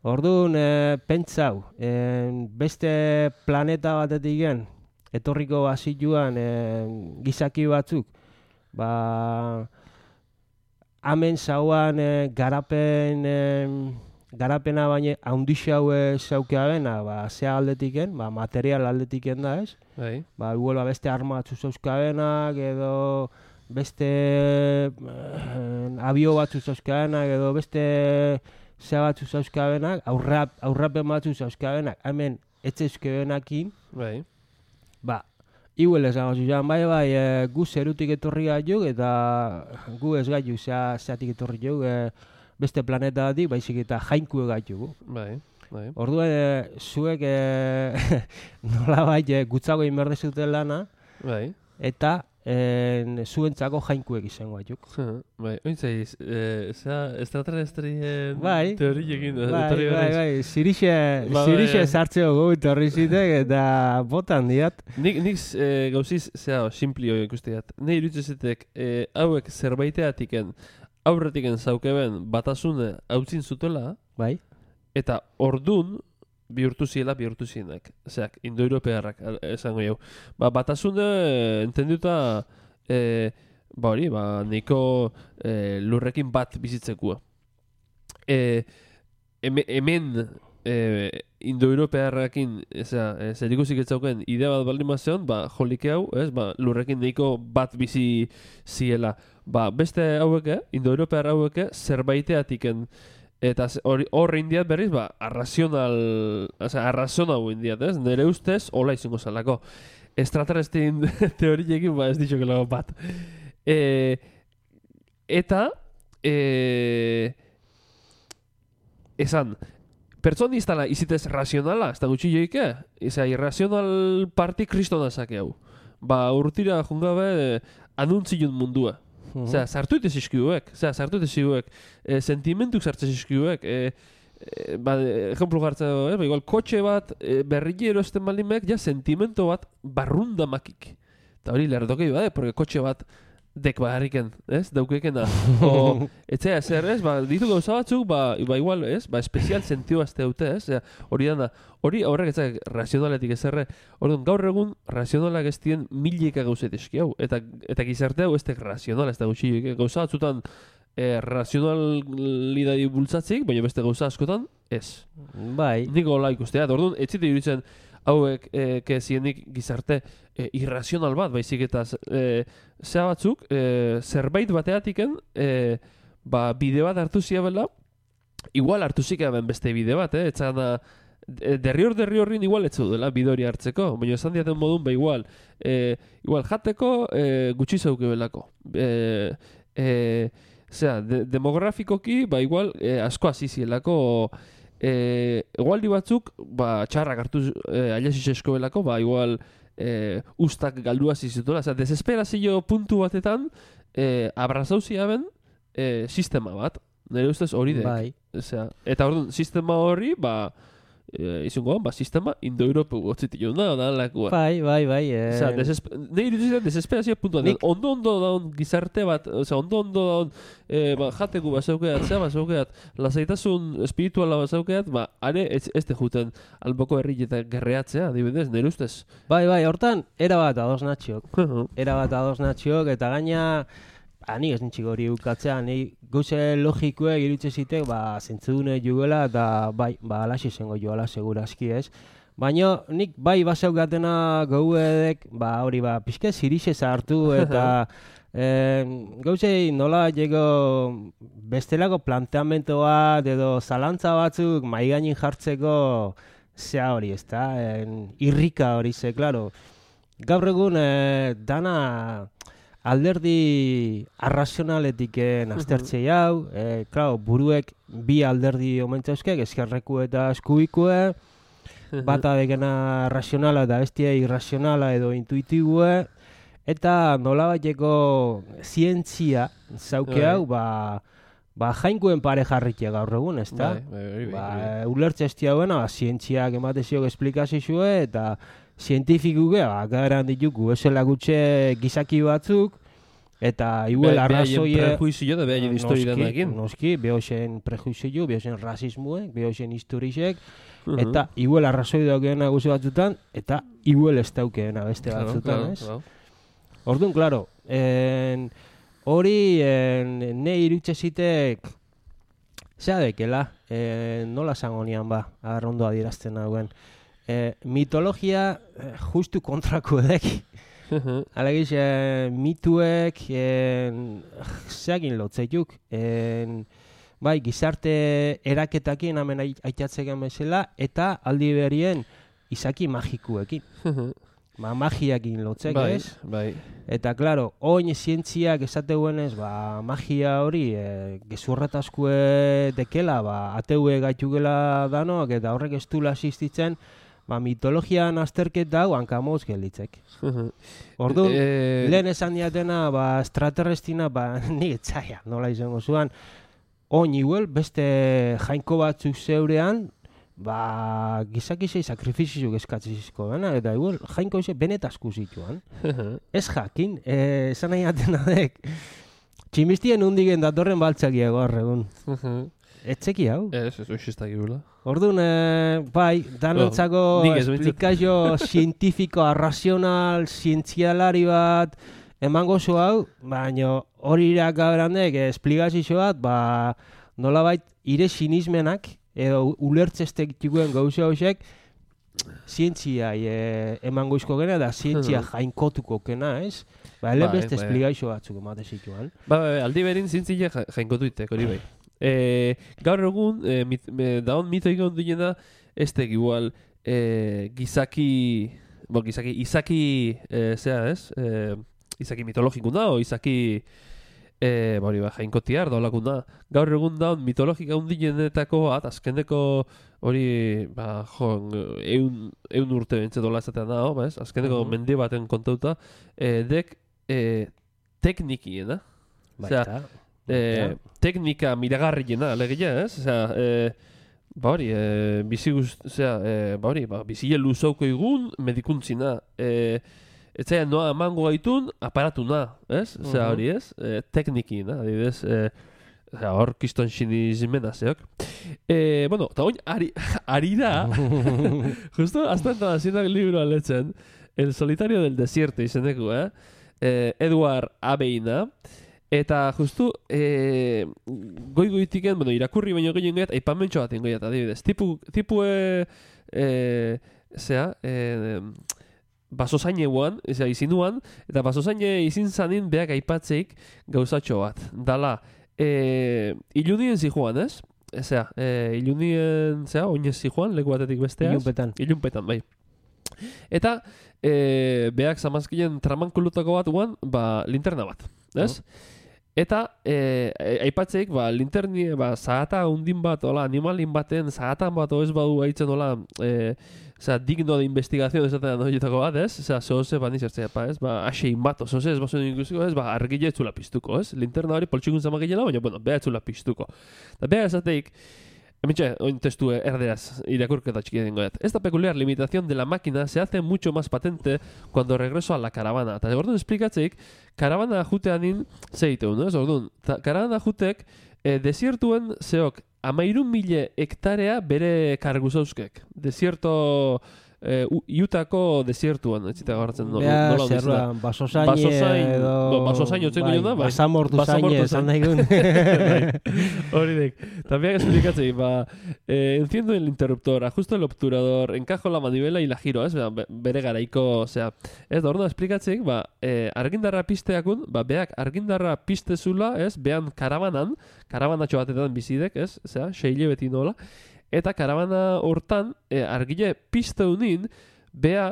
Orduan, e, pentsau, e, beste planeta batetik gen, etorriko bazituan e, gizaki batzuk, ba, hemen zauan e, garapen, e, garapena baina haundixau zaukea bena, ba, zea aldetiken, ba, material aldetiken da ez, Bai. ba, igual, ba, beste arma batzu zauzkabenak, edo beste eh, abio batzu zauzkabenak, edo beste zea batzu zauzkabenak, aurrap, aurrapen batzu zauzkabenak, hemen etzeuzkebenakin, Bai. ba, igual esango zuzan, bai, bai, e, gu zerutik etorri gaituk, eta gu ez gaitu zea, zeatik etorri gaituk, e, beste planeta batik, baizik eta jainku gaituk. Bai. Bai. Orduan, e, zuek e, nola bai, e, gutzago inberdezuten lana, Bai. eta en, zuentzako jainkuek izango gaituk. Bai. Ointzai, eh, zera, extraterrestrien Bai. teoriekin. Bai, etorri bai, garaiz. bai, zirixe, Ba, zirixe bai. sartzeo gu etorri zitek, eta botan diat. Nik, nik eh, gauziz, zera, simplio ikusteat. Ne irutzezetek, eh, hauek zerbaiteatiken, aurretiken zaukeben batasune hautzin zutela, Bai, eta ordun bihurtu ziela bihurtu zienak. Zeak, indo-europearrak al- esango jau. Ba, batasune eh, entenduta, eh, ba hori, ba, niko eh, lurrekin bat bizitzekua. Eh, heme- hemen eh, indo-europearrakin, eza, eh, zer ikusik etzauken idea bat baldin bazeon, ba, jolike hau, ez, ba, lurrekin nahiko bat bizi ziela. Ba, beste haueke, indo-europear haueke, zerbaiteatiken, eta ze- hori hor indiat berriz, ba, arrazional, oza, arrazionau indiat, ez? Nere ustez, hola izango zalako. Extraterrestrien teoriekin, ba, ez ditxokelago bat. E, eta, e, esan, pertsonistala izitez razionala, ez da gutxi joike? Eza, irrazional parti kristona zake hau. Ba, urtira jungabe, anuntzion mundua. Osea, sartu ite zizkiuek, osea, sartu ite zizkiuek, e, sentimentuk sartzen zizkiuek, e, e, ba, ejemplu gartzen dago, eh? Ba, igual, kotxe bat, e, berriki erosten balimek, ja, sentimento bat barrunda makik. Eta hori lerdokei bade, porque kotxe bat dek baharriken, ez, daukekena. O, etzea, zer, ez, ba, ditu gauza batzuk, ba, ba igual, ez, ba, espezial sentio azte dute, ez, Osea, hori dana, hori horrek etzak razionaletik ezerre, orduan, gaur egun, razionalak ez dien milika gauzet eski hau, eta, eta gizarte hau ez tek razional, ez da gutxi, gauza batzutan, e, razionalidadi bultzatzik, baina beste gauza askotan, ez. bai, Niko hola ikustea, orduan, ez zite iruditzen, hauek, e, kezienik gizarte e, irrazional bat, baizik eta e, zea batzuk, e, zerbait bateatiken, e, ba, bide bat hartu ziabela, igual hartu zikaben beste bide bat, eh? Etzana, derrior derri horrin igual ez dela bidori hartzeko, baina esan diaten modun, ba igual, e, igual jateko e, gutxi zauke belako. E, e, zera, de, demografikoki, ba igual, e, asko azizielako, e, egualdi batzuk, ba, txarrak hartu e, ailasitzesko belako, ba igual, e, ustak galdua zizituela, zera, desesperazio puntu batetan, e, abrazauzia ben, e, sistema bat. Nire ustez hori dek. Bai. Osea, eta orduan, sistema horri, ba, e, izango, ba, sistema indo-europu gotzitik da, da, lakua. Bai, bai, bai. Eh... Osea, desespe... nire iruditzen desesperazio puntua. Nik... Ondo-ondo daun gizarte bat, osea, ondo-ondo daun e, ba, jateku basaukeat, zea basaukeat, lasaitasun espirituala basaukeat, ba, are ez, ez te juten alboko herri eta gerreatzea, adibidez, nire ustez. Bai, bai, hortan, erabat ados natxiok. erabat ados natxiok, eta gaina... Ba, nik ez nintxik hori ukatzea, nik gauze logikue irutze zitek, ba, zentzudune jugela, eta bai, ba, alaxi zengo joala, segurazki ez. Baina nik bai basaugatena gauedek, ba, hori, ba, pixke zirixe hartu, eta eh, gauzei nola jego bestelako planteamento bat, edo zalantza batzuk maigainin jartzeko zea hori, ez da, irrika hori ze, klaro. Gaur egun eh, dana... alderdi arrazionaletiken aztertzei hau, e, klaro, buruek bi alderdi omentzauzkek, eskerreku eta eskubikue, bata degena razionala eta bestia irrazionala edo intuitibue, eta nolabaiteko zientzia zauke hau, ba, ba jainkuen pare jarritia gaur egun, ez da? Ba, ulertze ez hauena, ba, zientziak emateziok esplikazizue, eta zientifikuke, ba, garan ditugu, esela gutxe gizaki batzuk, eta igual Be, arrazoie... Behaien prejuizio da behaien histori danakin. Noski, behoxen prejuizio, behoxen rasismuek, behoxen historisek, uh -huh. eta igual arrazoi daukeena guzu batzutan, eta igual ez daukeena beste batzutan, claro, ez? Claro. Orduan, klaro, en, hori en, ne irutxe zitek, zea dekela, en, nola zangonian ba, arrondo adierazten dauen. E, mitologia e, justu kontrako edek. Alegiz, e, mituek e, zeagin lotzeiuk. E, bai, gizarte eraketakin hemen aitatzeken bezala, eta aldi berien izaki magikuekin. Ba, magiakin lotzek, bai, ez? Bai. Eta, klaro, oin zientziak esateguenez, ba, magia hori, e, gezurretaskue dekela, ba, ateue gaitugela danok, eta horrek ez dula asistitzen, ba, mitologian azterketa hau hankamoz gelditzek. Orduan, e... lehen esan diatena, ba, extraterrestina, ba, nik etzaia, nola izango zuan, oin iguel, beste jainko batzuk zeurean, ba, gizakizei sakrifizizuk eskatzizizko dena, eta igual, jainko izan benetazku zituan. Ez jakin, e, esan nahi atena dek, tximistien undigen datorren baltzakia gaur egun. Etzeki hau? Ez, ez, ez ez gula. Orduan, e, bai, danontzako oh, esplikazio zientifiko, arrazional, zientzialari bat, emango zu hau, baina hori irakaberandek esplikazio bat, ba, nolabait ire sinismenak, edo ulertzestek txikuen gauza hoxek, zientzia e, emango izko gena, da zientzia jainkotuko gena, ez? Ba, ele beste ba, esplikazio batzuk emate zituan. Ba, ba, aldi berin zientzia jainkotuitek, hori bai. E, gaur egun, e, mit, me, daun mito egon duena, ez tek igual e, gizaki, bo, gizaki, izaki, e, zera ez, e, izaki mitologikun da, o izaki, e, hori ba, jainkotiar da olakun da. Gaur egun daun mitologika hundienetako bat, azkeneko hori, ba, jo, eun, eun urte bentset dola ezatean da, ba, ez? Azkeneko uh -huh. mende baten kontauta, e, dek e, teknikiena. Baita. E, teknika miragarriena, alegia, ez? Osea, e, ba hori, e, bizi guzti, osea, e, ba hori, ba, bizile luzauko egun medikuntzina, e, etzaia noa emango gaitun, aparatuna, ez? Osea, hori, ez? E, teknikina, adibidez, e, hor kiston sinizimena zeok. E, bueno, eta oin, ari, ari da, justo, hasta enta zinak libro aletzen, El solitario del desierto izeneko, eh? E, Edward Abeina, eta justu, e, goi-goitiken, bueno, irakurri baino gehien gaiat, aipamentxo bat ingoiat, adibidez. Tipu, tipu, e, e, zera, e, basozaine guan, eza, izinuan, eta basozaine izin zanin beak aipatzeik gauzatxo bat. Dala, e, ilunien zijoan, ez? zera, e, ilunien, zera, oinez zijoan, leku batetik besteaz. Ilunpetan. Ilunpetan, bai. Eta, e, beak zamazkinen tramankulutako bat guan, ba, linterna bat, ez? Oh. Eta, e, aipatzeik, ba, linterni, ba, zahata undin bat, hola, animalin baten, zahatan bat, oez badu haitzen, hola, e, Osea, digno de investigación esaten horietako bat, ez? Osea, zoze bat nizertzea, pa, ez? Ba, asein bat, zoze ez bazuen inklusiko, ez? Ba, argile etzula piztuko, ez? Linterna hori poltsikun zamakilela, baina, bueno, beha etzula piztuko. Eta beha esateik, emitxe, oin testu erderaz, irakurketa txiki dengo dut. Esta peculiar limitación de la máquina se hace mucho más patente cuando regreso a la caravana. Eta, orduan esplikatzeik, karavana juteanin zeiteu, no? Ez, orduan, karavana jutek, eh, desiertuen zeok, amairun mile hektarea bere kargu zauzkek. Desierto, eh, Utako desiertuan, etxita gabartzen nola Bea, nola zerra, basozain basozain edo... no, basozain otzen bai, ginen da, bai. Basamortu zain esan nahi gun. Hori dek. También explikatzei, ba, eh, enciendo el interruptor, ajusto el obturador, encajo la manivela y la giro, ez? Be, bere garaiko, osea, ez da, orduan esplikatzeik, ba, eh, argindarra pizteakun, ba, beak argindarra piztezula, ez? Bean karabanan, karabanatxo batetan bizidek, ez? Osea, seile beti nola. Eta karabana hortan, e, argile pizteunin, bea,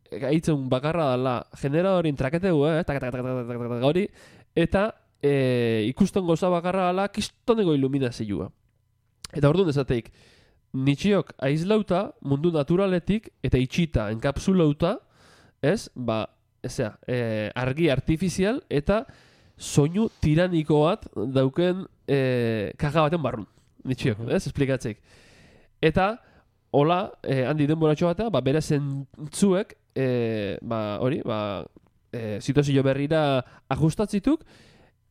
gaitzen bakarra dala, generadorin traketegu, eh? Tak, tak, tak, tak, tak, tak, hori, eta e, ikusten goza bakarra dala, kistonego iluminazioa. Eta orduan esateik, nitxiok aizlauta, mundu naturaletik, eta itxita, enkapsulauta, ez, ba, ezea, e, argi artifizial, eta soinu tiraniko bat dauken e, kaja baten barrun. Nitxiok, ez, esplikatzeik. Eta, hola, eh, handi denboratxo batea, ba, bere zentzuek, eh, ba, hori, ba, eh, situazio berrira ajustatzituk,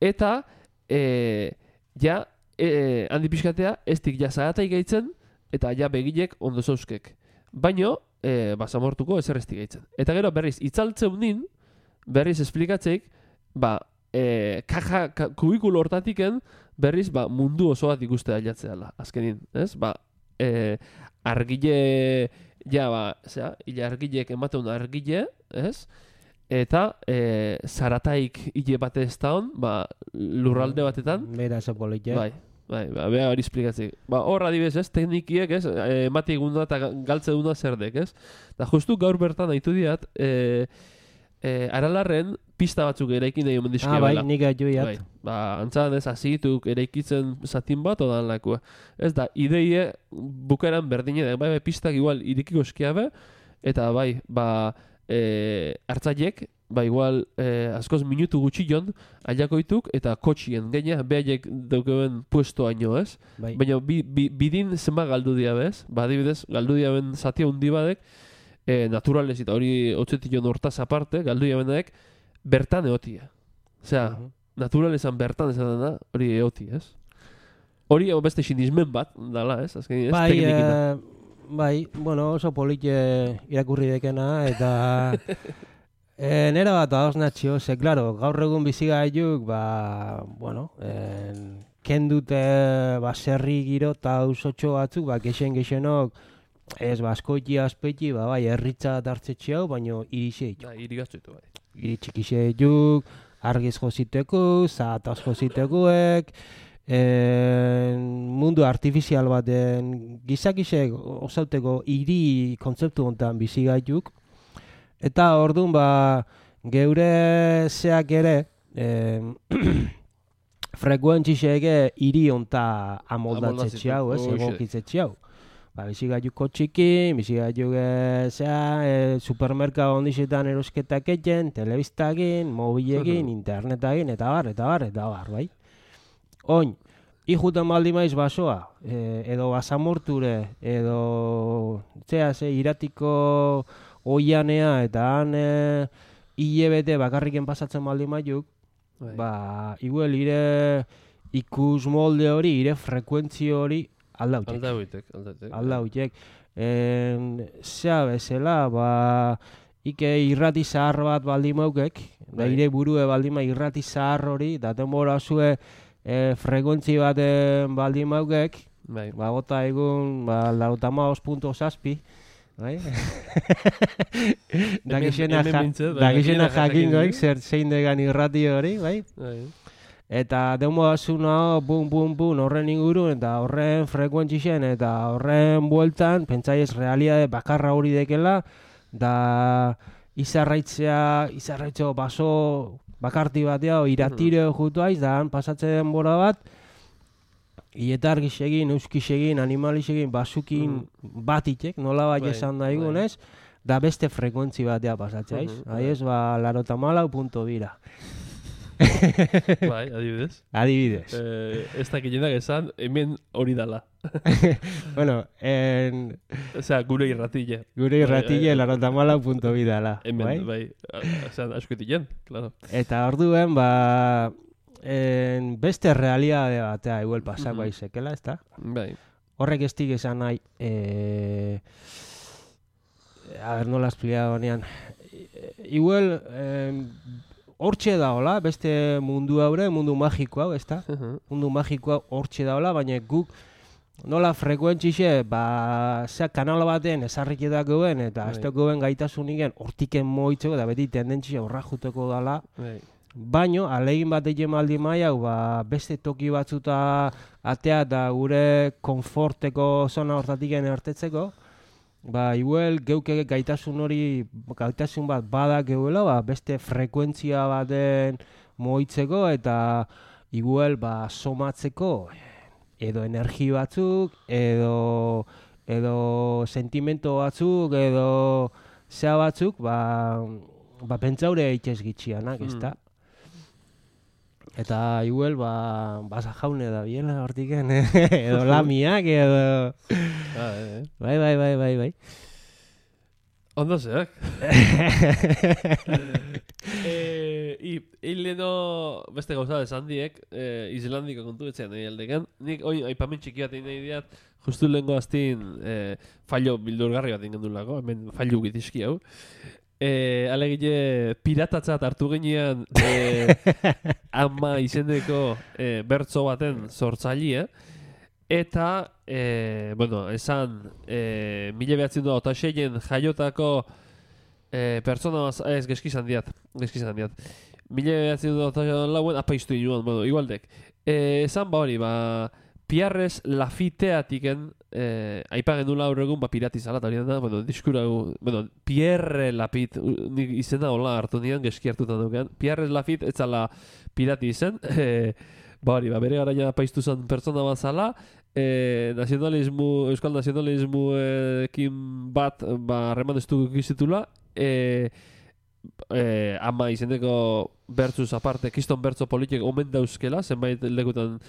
eta, eh, ja, eh, handi pixkatea, ez dik ja zagatai gaitzen, eta ja begilek ondo zauzkek. Baino, eh, ba, zamortuko ezer ez dik gaitzen. Eta gero, berriz, itzaltzeun nin, berriz esplikatzeik, ba, eh, kaja, ka, kubikulo hortatiken, berriz, ba, mundu oso bat ikuste ailatzeala, azkenin, ez? Ba, Eh, argile, ja, ba, zera, hile argilek ematen argile, ez? Eta eh, zarataik hile bate ez da hon, ba, lurralde batetan. Bera zepolitxe. Bai, bai, ba, beha hori esplikatzik. Ba, hor adibez, ez, teknikiek, ez, emati eguna eta galtze duna zerdek, ez? Eta justu gaur bertan haitu diat, eh, eh, aralarren pista batzuk eraikin nahi omen dizkia ah, bai, bela. nik aiuiat. Bai, ba, antzan ez, azituk eraikitzen zatin bat odan lakua. Ez da, ideie bukaeran berdine da, bai, bai, pistak igual irikiko eskiabe, eta bai, ba, e, hartzaiek, ba, igual, e, askoz minutu gutxion, aiakoituk, eta kotxien, gaina, behaiek daukeben puesto haino, ez? Bai. Baina, bi, bi, bidin zenba galdu dia, bez? Ba, adibidez, galdu diaben zatia hundi badek, e, naturalez, eta hori otzetion hortaz aparte, galdu diabenek, bertan eotia. Osea, uh -huh. naturalezan bertan esaten da, hori eoti, ez? Hori beste sinismen bat, dala, ez? Azken, ez? Bai, e, bai, bueno, oso politxe irakurri dekena, eta e, nera bat adosnatxio, ze, klaro, gaur egun bizigaiuk, ba, bueno, e, kendute, ba, serri giro eta ausotxo batzuk, ba, gexen-gexenok, ez, ba, askoiti azpeiti, ba, bai, erritza hartzetxe hau, baino irixeit. Da, irigaztuitu, bai. Iritxikixeiuk, argiz joziteku, zahataz jozitekuek, e, mundu artifizial baten gizakisek osauteko hiri kontzeptu honetan bizigaituk. Eta orduan, ba, geure zeak ere, e, frekuentziseke hiri honetan amoldatzetxe hau, ez, egokitzetxe hau. Ba, bizigaiuko txiki, bizigaiuk e, zea, e, supermerkado ondizetan erosketak eten, telebiztagin, mobilegin, internetagin, eta bar, eta bar, eta bar, bai? Oin, ikuten baldi maiz basoa, e, edo basamorture, edo, zea, ze, iratiko oianea, eta han e, hilebete bakarriken pasatzen baldi maiuk, bai. Ba, igual, ire ikus molde hori, ire frekuentzio hori, aldautek. Aldautek, aldautek. Aldautek. Zea bezala, ba, ike irrati zahar bat baldi maukek, da ire burue baldi ma irrati zahar hori, da denbora zue e, frekuentzi baten baldi maukek, bai. Ba, gota egun, ba, lautama os punto zazpi, bai? Da gizena jakingoik, zer zein degan irrati hori, bai? Bai. eta demoazuna bum, bum, bum, horren ingurun, eta horren frekuentzien, eta horren bueltan, pentsaiez realiade bakarra hori dekela, da izarraitzea, izarraitzeo baso bakarti batea, iratire jutu aiz, da han pasatzen denbora bat, ietargixegin, euskixegin, animalixegin, basukin batitek, nola bat esan daigunez, da beste frekuentzi batea pasatzea aiz. Aiz, ba, larota malau punto bira. Bai, adibidez. Adibidez. Eh, ez dakilenak esan, hemen hori dala. Bueno, en... Osea, gure irratile. Gure irratile larota malau punto bi dala. Hemen, bai. Osean, askoetilen, claro. Eta orduen, ba... En beste realidade batea igual pasako aizekela, ez da? Bai. Horrek ez dik esan nahi... Eh... A ver, nola esplia honean. Igual... Eh, Hortxe daola, beste mundu haure, mundu magiko hau, ezta? Mundu magiko hau hortxe daola, baina guk nola frekuentzixe, ba, zea kanala baten esarriketak goen, eta ez goen gaitasunik hortiken moitzeko, da beti tendentzia horra juteko dala. Baino, alegin bat egin maldi maia, ba, beste toki batzuta atea eta gure konforteko zona hortatik ertetzeko, ba, igual geuke gaitasun hori, gaitasun bat bada geuela, ba, beste frekuentzia baten moitzeko eta igual ba, somatzeko edo energi batzuk, edo, edo sentimento batzuk, edo zea batzuk, ba, ba pentsaure eitxez gitxianak, ez da? Eta igual, ba, basa jaune da biela hortiken, edo lamiak, edo... Bai, bai, bai, bai, bai. Ondo zeak. Hileno beste gauza esan diek, Islandiko kontu etxean nahi aldeken. Nik, oi, aipamen txiki bat nahi diat, justu lehenko aztin fallo bildurgarri bat ingen dulako, hemen fallo gitizki hau. Eh, alegile piratatzat hartu ginean eh, ama izendeko eh, bertso baten sortzaile eta eh, bueno, esan eh, mila behatzen du eta seien jaiotako eh, pertsona ez geskizan diat geskizan diat mila behatzen du eta lauen apaiztu inoan, bueno, igualdek eh, esan ba hori, ba Pierres Lafiteatiken eh, aipagen dula aurregun ba piratizala eta hori da, bueno, diskura, bueno, Pierre Lafit, nik izena hola hartu nian, geski hartutan dukean, Pierres Lafit etzala pirati izen, eh, ba hori, ba, bere garaia apaiztu zen pertsona bat zala, eh, nazionalismu, euskal nazionalismuekin bat, ba, harreman ez dugu ikizitula, eh, eh, ama izendeko bertzuz aparte, kiston bertzo politik omen dauzkela, zenbait lekutan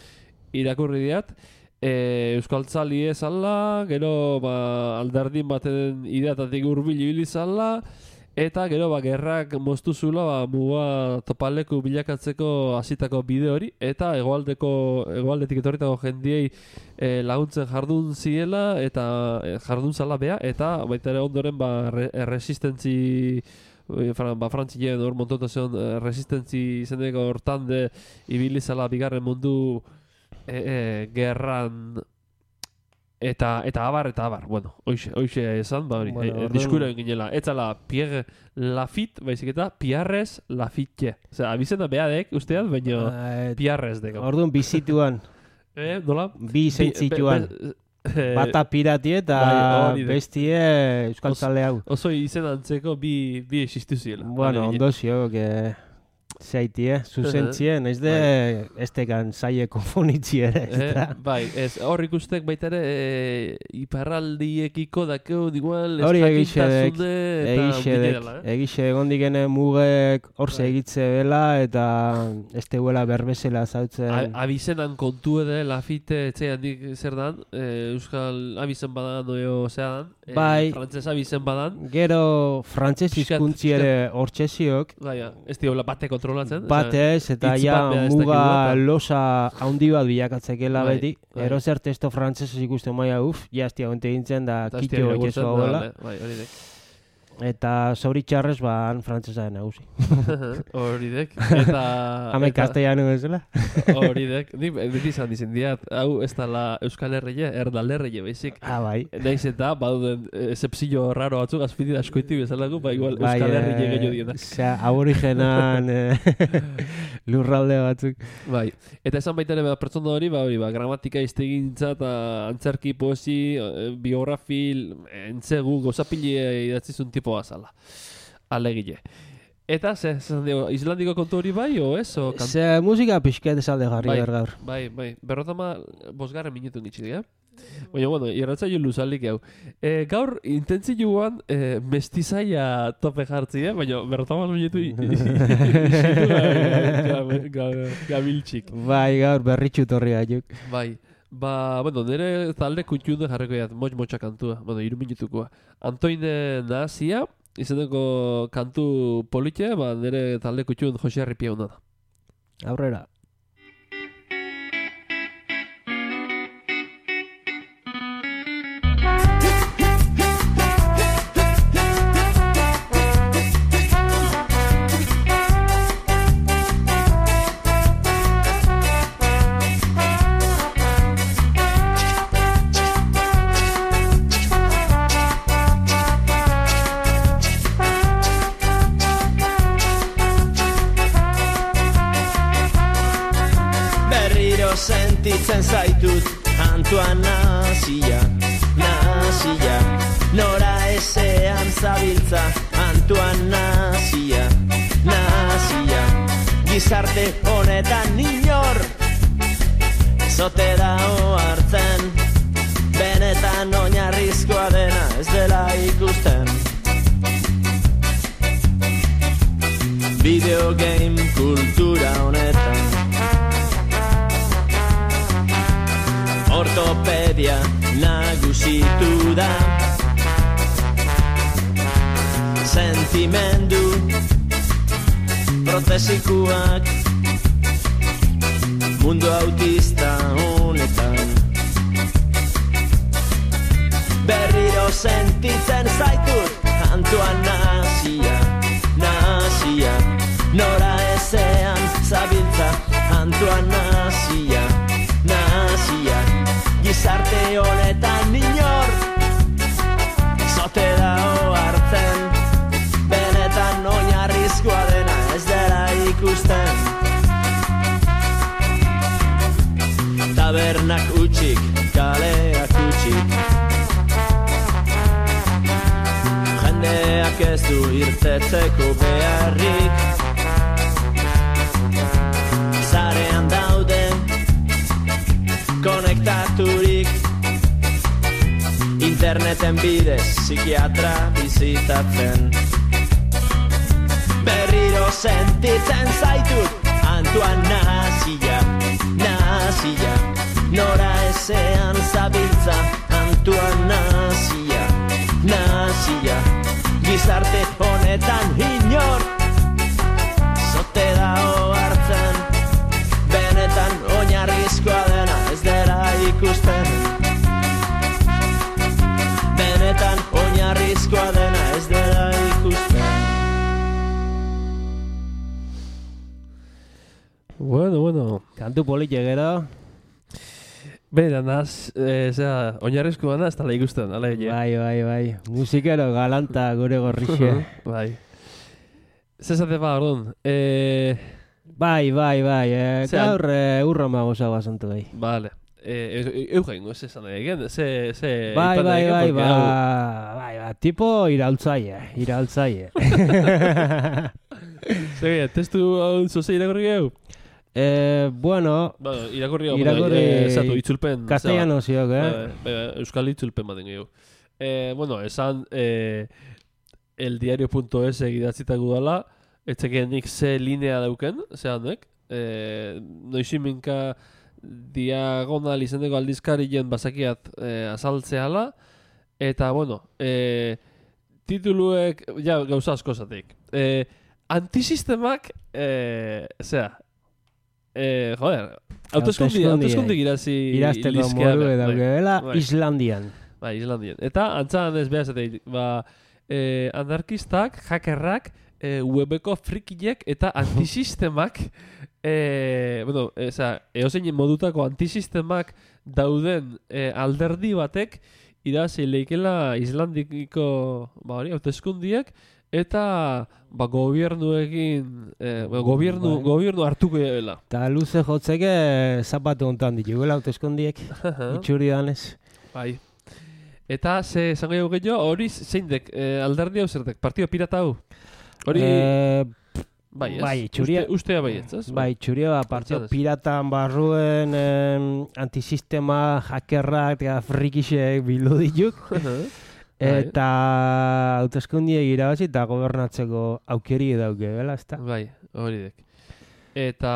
irakurri diat, e, euskaltzali ezala, gero ba, alderdin baten ideatatik urbil ibili zala, eta gero ba, gerrak moztu zula ba, muga topaleku bilakatzeko hasitako bide hori, eta hegoaldeko hegoaldetik etorritako jendiei e, laguntzen jardun ziela, eta e, jardun zala bea, eta baita ere ondoren ba, re, resistentzi ba, frantzien hor montotazion resistentzi izeneko hortan de ibili zala bigarren mundu E, e, gerran eta eta abar eta abar, bueno, hoixe, hoixe esan, ba hori, bueno, e, diskura ginela, etzala Pierre Lafitte, baizik eta Pierres Lafitte. Osea, abizena beadek, ustean, baina Pierres deko. Orduan bizituan. Eh, nola? Bi zentzituan. Bata pirati eta bai, bestie euskaltzale hau. Oso izen antzeko bi, bi existu ziela. Bueno, ondo zio, que... Zaitie, zuzentzie, naiz de estekan zaie konfonitzi ere, ez da? Bai, ez, hor ikustek baita ere iparraldiekiko dakeu, igual, hori egixedek, egixedek, egixe gondikene mugek hor segitze bela eta ez teguela berbezela zautzen. Abizenan kontu edo, Lafite etxean dik zer dan, euskal abizen badan oio zean, frantzez abizen badan. Gero frantzez hizkuntzi ere hor txesiok. Baina, ez diola bate kontrolatzen. Batez, eta ja muga losa haundi bat bilakatzekela beti. Ero zer testo frantzesez ikusten maia, uf, jaztia gonte gintzen da kitio etxezo hauela. Eta zoritxarrez, ba, han frantzesa da nagusi. Horidek. Eta... Hame castellano bezala. Horidek. Ni beti izan izan diat, hau ez dala Euskal Herrie, Erdal Herrie baizik. Ah, bai. Naiz eta, baduden excepzio raro batzuk, azpiti askoiti bezalako, ba igual Bai, Euskal eh, Herrie gehiago dienak. Osea, aborigenan eh, lurralde batzuk. Bai. Eta esan baita ere ba, pertsona hori, ba, hori, ba, gramatika iztegintza eta antzerki, poesi, eh, biografil, entzegu, gozapili idatzizun tipo bazala. Alegile. Eta, ze, ze, islandiko kontu hori bai, o ez? O kan... Ze musika pixket esalde jarri bai, behar gaur. bai, bai. Berrotama bosgarren minutu nitsi, eh? Baina, bueno, irratzaio luzalik hau. E, gaur, intentzioan e, mestizaia tope jartzi, eh? Baina, berrotama minutu gabiltxik. Bai, gaur berritxu torri gaituk. Bai. Ba, bueno, nire talde kuntxunde jarriko jat, motx-motxa kantua, bueno, iru minutukoa. Antoine Nahazia, izeneko kantu politia, ba, nire talde kuntxun Jose Arripia hona da. Aurrera. Sentitzen zaitut Antoan Nahazia, Nahazia, nora ezean zabiltza Antoan Nahazia, Nahazia, gizarte honetan inor zote dao hartzen, benetan oinarrizkoa dena ez dela ikusten. Videogame kultura honetan ortopedia nagusitu da, sentimendu protesikuak mundu autista honetan. Berriro sentitzen zaitut Antoan Nahazia, Nahazia, nora ezean zabiltza Antoan Nahazia, Nahazia, gizarte honetan inor zote dao hartzen, benetan oinarrizkoa dena ez dela ikusten. Tabernak utxik, kaleak utxik, jendeak ez du irtetzeko beharrik, zarean dauden konektaturik, interneten bidez psikiatra bizitatzen. Berriro sentitzen zaitut Antoan Nahazia, Nahazia, nora ezean zabiltza Antoan Nahazia, Nahazia, gizarte honetan inor zote dao hartzen, benetan oinarrizkoa dena ez dela ikusten. Benetan oinarrizkoa dena ez dela ikusten. Bueno, bueno. Kantu politia gero. Bera, naz, e, zera, oinarrizkoa da, ez dala ikusten, ala egin. Bai, bai, bai. Musikero galanta gure gorrixe. Bai. Zezate ba, orduan. E... Bai, bai, bai. Eh, Zean- gaur eh, urro magoza basantu gai. Vale. E, Eugen, ez esan egin, ze... ze Bai, ipan bai, egin, bai, porque ba, hau- bai, ba, tipo iraultzaile, iraultzaile. Zer, testu hau zoze irakorri gehu? eh, bueno, Bueno, irakorri hau, Irakorri- eh, zatu, itzulpen. castellano ziok, eh? Bai, bai, euskal itzulpen baten gehiago. Eh, bueno, esan eh, eldiario.es egidatzitako dala, etzekenik ze linea dauken, ze handek. Eh, noiziminka diagonal izendeko aldizkarien bazakiat eh, azaltzeala, eta, bueno, eh, tituluek, ja, gauza asko zatik. Eh, antisistemak, eh, zera, eh, joder, hauteskundi, hauteskundi irazi Irazteko ilizkea, modu bai, dauke dela bai. Islandian. Bai, Islandian. Eta, antzan ez behar zateik, ba, eh, anarkistak, hackerrak, eh, webeko frikiek eta antisistemak, eh, bueno, eza, eozein modutako antisistemak dauden eh, alderdi batek, irabazi leikela Islandiko ba hori hauteskundiak eta ba gobiernuekin eh, ba, gobiernu bai. gobiernu hartuko dela. Ta luze jotzeke zapatu hontan ditugula hauteskundiek. Itxuri danez. Bai. Eta ze esango dugu gehiago, hori zeindek eh, alderdi hau zertek, Partido Pirata hau? Hori Eh, bai, ez? bai, txuria- Uste, ustea bai, ez? ez? Bai, txuria ba, Partido Pentsatez. Piratan barruen em, antisistema, hackerrak eta frikixek bildu dituk. Eta hauteskundiek irabazi eta gobernatzeko aukeri dauke, bela, ezta? Bai, hori dek. Eta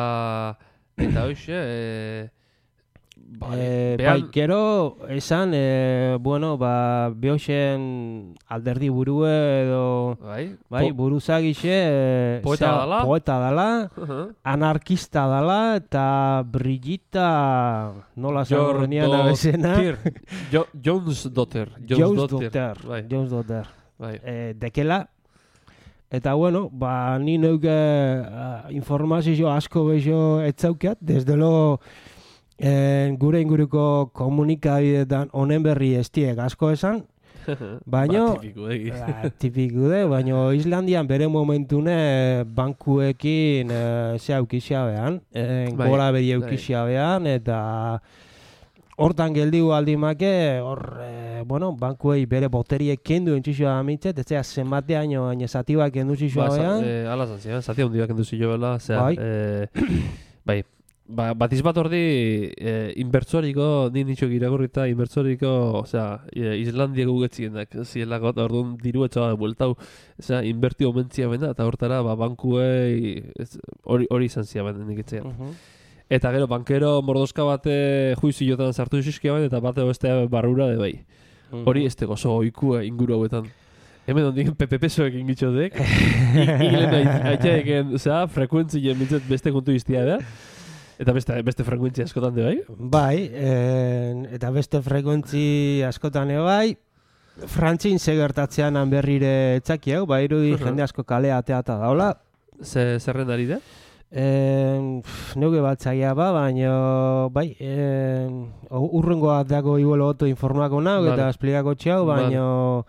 eta hoxe, eh, bai, Eh, behan- bai, gero, esan, eh, bueno, ba, behoxen alderdi burue edo, bai, bai, po- buruzagixe, eh, Poeta zea, dala. poeta dala, anarkista dala, eta Brigitta, nola Your zago nian abezena, daughter. Jo, Jones daughter. Jones Daughter, Bai, Jones Daughter, bai. eh, dekela, eta bueno, ba, ni neuke uh, informazio asko bezo etzaukat, desde lo, eh, gure inguruko komunikabideetan honen berri estiek asko esan, baino, Ba, tipiko, egi. ba, tipiku de, baino Islandian bere momentune bankuekin eh, ze aukizia behan, eh, Bai, gola bedi bai. aukizia behan, eta hortan geldigu aldimake, hor, eh, bueno, bankuei bere boteriek kendu entxixoa mitzet, ez zera zenbateaino, baina zatibak kendu zixoa Ba, behan, sa- eh, ala zan ziren, zati handiak enduzi jo bela, zera, Bai. eh, bai, ba, batiz bat ordi eh, inbertsoriko, ni nitxok iragurrita inbertsoriko, osea, eh, Islandia gugetzienak, zielako, eta orduan diru etxoa bueltau, osea, inberti omentzia bena, eta hortara, ba, bankuei, ez- hori hori izan ziaben nik etxean. Mhm. Eta gero, bankero mordoska bate juiziotan sartu zizkiaben, eta bate bestea barrura de bai. Mhm. Hori ez oso oikua inguru hauetan. Hemen ondik P P P-soekin gitxotek. Iglen aitxaeken, osea, frekuentzien mintzet beste kontu iztia da. Eta beste, beste frekuentzia askotan de bai. Bai, eh, eta beste frekuentzi askotan ere bai, Frantzin segertatzean berrire etzaki hau, bai irudi Mhm. jende asko kalea ateata daula. Ze, zerren ari da? Eh, pff, neuge batzaia ba, baina bai, eh, urrengoa dago iguelo oto informako nau Vale. eta esplikako txau, Vale. baina...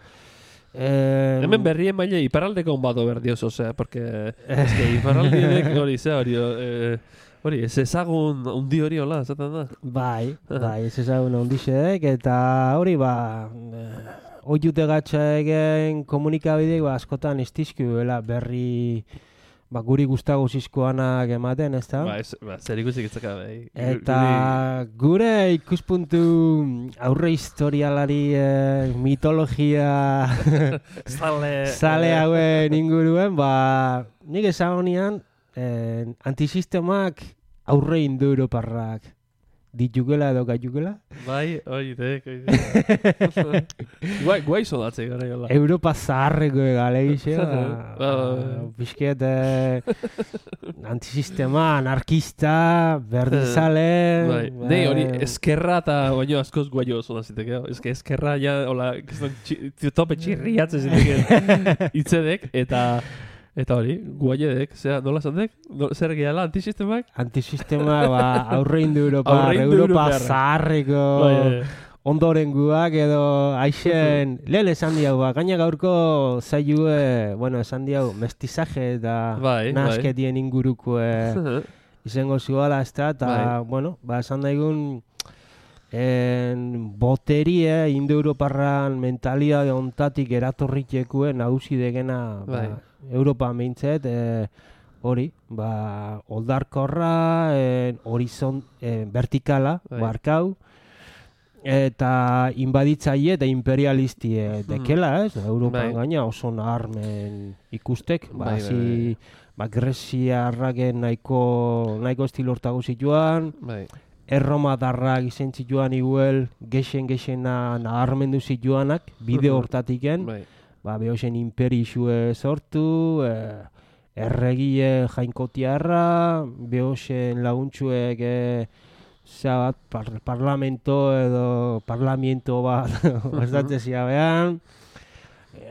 Eh, Hemen berrien maile iparraldeko on bato berdioz, osea, porque es que iparraldiek hori, ze hori, eh, hori, ez ezagun undi hori hola, esaten da. Bai, bai, ez ezagun ondixek, eta hori ba, eh, oiute gatsa egen komunikabideek ba, askotan istizku bela berri ba, guri gustago zizkoanak ematen, ez da? Ba, ez, ba, zer ikusik itzaka, bai. Eta gure ikuspuntu aurre historialari eh, mitologia Zale, zale eh, hauen inguruen, ba, nik ezagonian eh, antisistemak aurre indu europarrak ditukela edo gaitukela. Bai, hori dek, hori dek. Guai, guai sodatze gara jola. Europa zaharreko egalegixe, ba, Ba, ba, ba. bizket eh, antisistema, anarkista, berdizale... Bai, nei hori eskerra eta baino askoz guaio oso da ziteke. Ez que eskerra ja, hola, kiston txi- tope txirriatzen ziteke itzedek, eta eta hori, guaiedek, zera, nola zandek? No, zer gehala, antisistemak? Antisistema, ba, aurre indu Europa, Aurreindu Europa europarrak. zaharreko... Bai, bai. ondorenguak edo aixen lehen esan diau, ba, gaina gaurko zailue, bueno, esan diau, mestizaje eta Bai, bai. nasketien inguruko eh, izango zuala, ez da, eta, Bai. bueno, ba, esan daigun, en, boterie, indo-europarran mentalidade ontatik eratorritxekue nagusi degena, Bai. ba, Europa meintzet, eh, hori, ba, oldarkorra, eh, horizon, eh, vertikala, Bai. barkau, eta inbaditzaile eta imperialistie dekela, ez? Europan Bai. gaina oso naharmen ikustek, ba, Bai, bai, hasi, ba, Greziarraken nahiko, nahiko estilortago zituan, Bai, erromatarrak izen zituan iguel, gexen-gexena naharmendu zituanak, bide Mhm. hortatiken, bai. ba, behozen imperixue sortu, eh, erregie jainkotiarra, behozen laguntxuek eh, zea bat, par, parlamento edo parlamento bat ostatzen ziabean,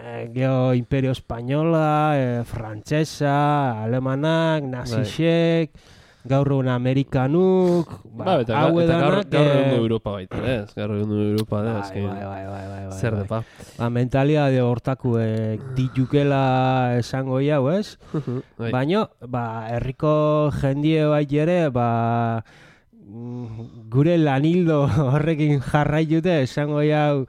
eh, geho Imperio Espainola, eh, Frantsesa, Alemanak, Nazisek, gaur egun Amerikanuk, Ba, ba, eta, hau eta gaur, edanak... gaur eh, egungo Europa baita, ez? Gaur egungo Europa da, bai, azken. bai, bai, bai, bai, bai, Zer bai. depa. Ba, mentalidade hortakuek ditukela esango jau, ez? Bai. Baina, ba, herriko jendie bai ere, ba, mm, gure lanildo horrekin jarraitute esango jau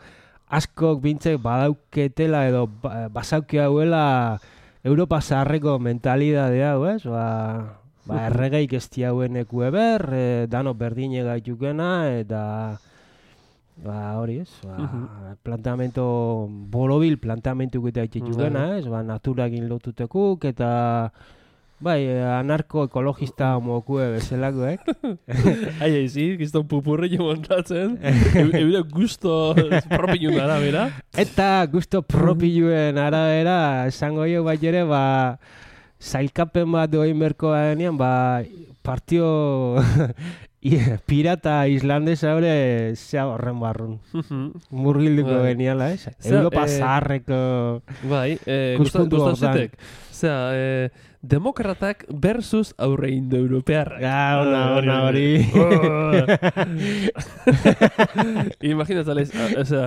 askok bintzek badauketela edo ba, basauke hauela Europa zaharreko mentalidade hau, ez? Ba, ba erregeik ez diaueneku eber, e, dano berdine gaitukena, eta ba hori ez, ba, planteamento borobil planteamentu gita itxetxukena, ez? Ba, naturakin lotutekuk, eta bai, anarko-ekologista mokue bezalakoek. Ai, ai, zi, gizton pupurrillo montatzen, eure gusto propilun arabera. Eta gusto propiluen arabera, esango jo bai ere, ba, zailkapen bat doin berko denean, ba, partio pirata islandesa hori zea horren barrun. Murgilduko Bai. geniala, ez? Zea, Europa eh, zaharreko... Bai, eh, Ikuspuntu gustazetek. Zera, eh, demokratak versus aurre indo-europearrak. Ja, ona, ona hori. Imaginatzalez,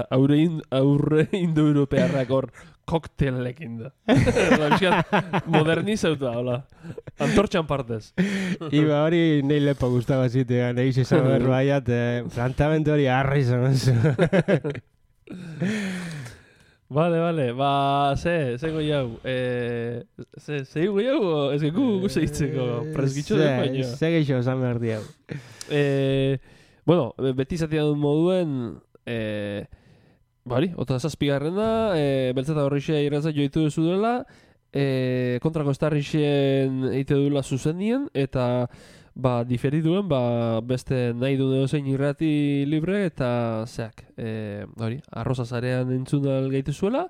aurre, in, aurre indo-europearrak hor koktelekin da. Modernizauta, hola. Antortxan partez. Iba hori nahi lepo gustaba zitea, nahi zizan berbaiat, eh, plantamentu hori arri zan. Vale, vale, ba, ze, ze goi hau, eh, ze, ze goi hau, ez geku guze hitzeko, presgitxo den baino. Ze geixo esan behar diau. Eh, bueno, beti zatean dut moduen, eh, bari, ota zazpigarren da, eh, beltzeta horrixe irrantza joitu duzu dela, eh, kontrako estarrixen eite duela zuzenien, eta ba, diferituen, ba, beste nahi du zein irrati libre, eta zeak, eh, hori, arroza zarean entzun gaitu zuela,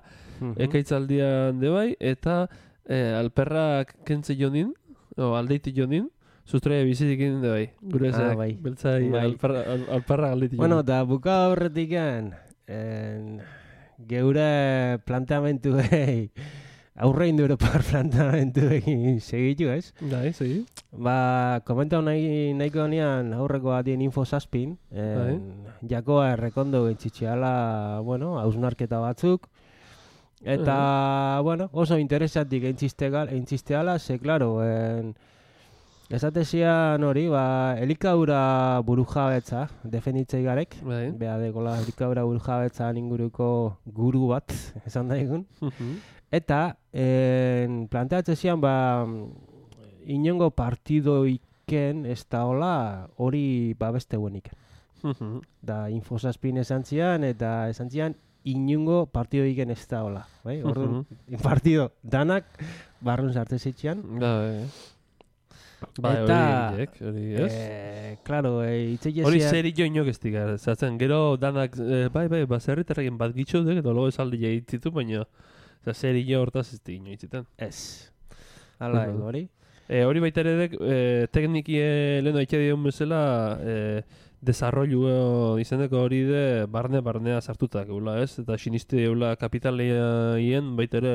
ekaitzaldian de bai, eta eh, alperrak kentze jonin, o aldeiti jonin, sustraia bizitikin de bai, gure zeak, Ah, bai. beltzai Bai. alperra, al, alperrak aldeiti jonin. Bueno, eta buka horretik en, geure planteamentu behi, aurre indoeuropar planteamentu egin segitu, ez? Bai, segi. Ba, komentau nahi, nahiko honean aurreko batien info zazpin, en, jakoa errekondo gentzitxeala, bueno, hausnarketa batzuk, eta, bueno, oso interesatik entzisteala, ze, klaro, en, esatezian hori, ba, elikaura burujabetza, defenditzei garek, Bai. beha dekola elikaura burujabetza inguruko guru bat, esan daigun, eta en, planteatzen zian, ba, inongo partidoiken ez da hola hori babeste gueniken. Da infosazpin esan zian, eta esan zian inongo partidoiken ez da hola. Bai? Orduan, partido danak barrun sartzen zitzean. Da, bai. Bai, Eta, hori horiek, hori, ez? Eh, claro, eh, itzeia Hori zian... zer inok ez dira, zaten, gero danak, eh, bai, bai, baserritarrekin bat gitxo duk, eta logo esaldi jaitzitu, baina zer ino hortaz ez di ino itzitan. Ez. Hala, Mhm. hori. E, hori baita ere dek, e, teknikie lehenu aitea dion bezala, e, desarrollu izeneko hori de barne-barnea sartutak, eula, ez? Eta sinisti eula kapitaleien baita ere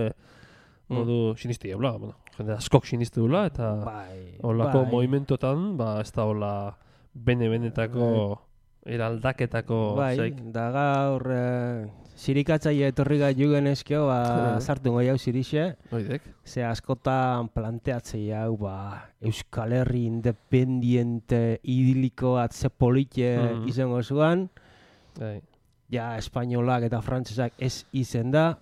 modu sinisti eula, bueno, jende askok sinisti eula, eta Bai, holako bai. movimentotan, ba, ez da hola bene-benetako eraldaketako Bai, zaik. da gaur eh, sirikatzaile etorri gai jugen eskio, ba, sartu goi hau zirixe, Oidek. ze askotan planteatzei hau, ba, Euskal Herri independiente idiliko bat ze polite Mhm. izango zuan, Bai. ja, espainolak eta frantsesak ez izen da,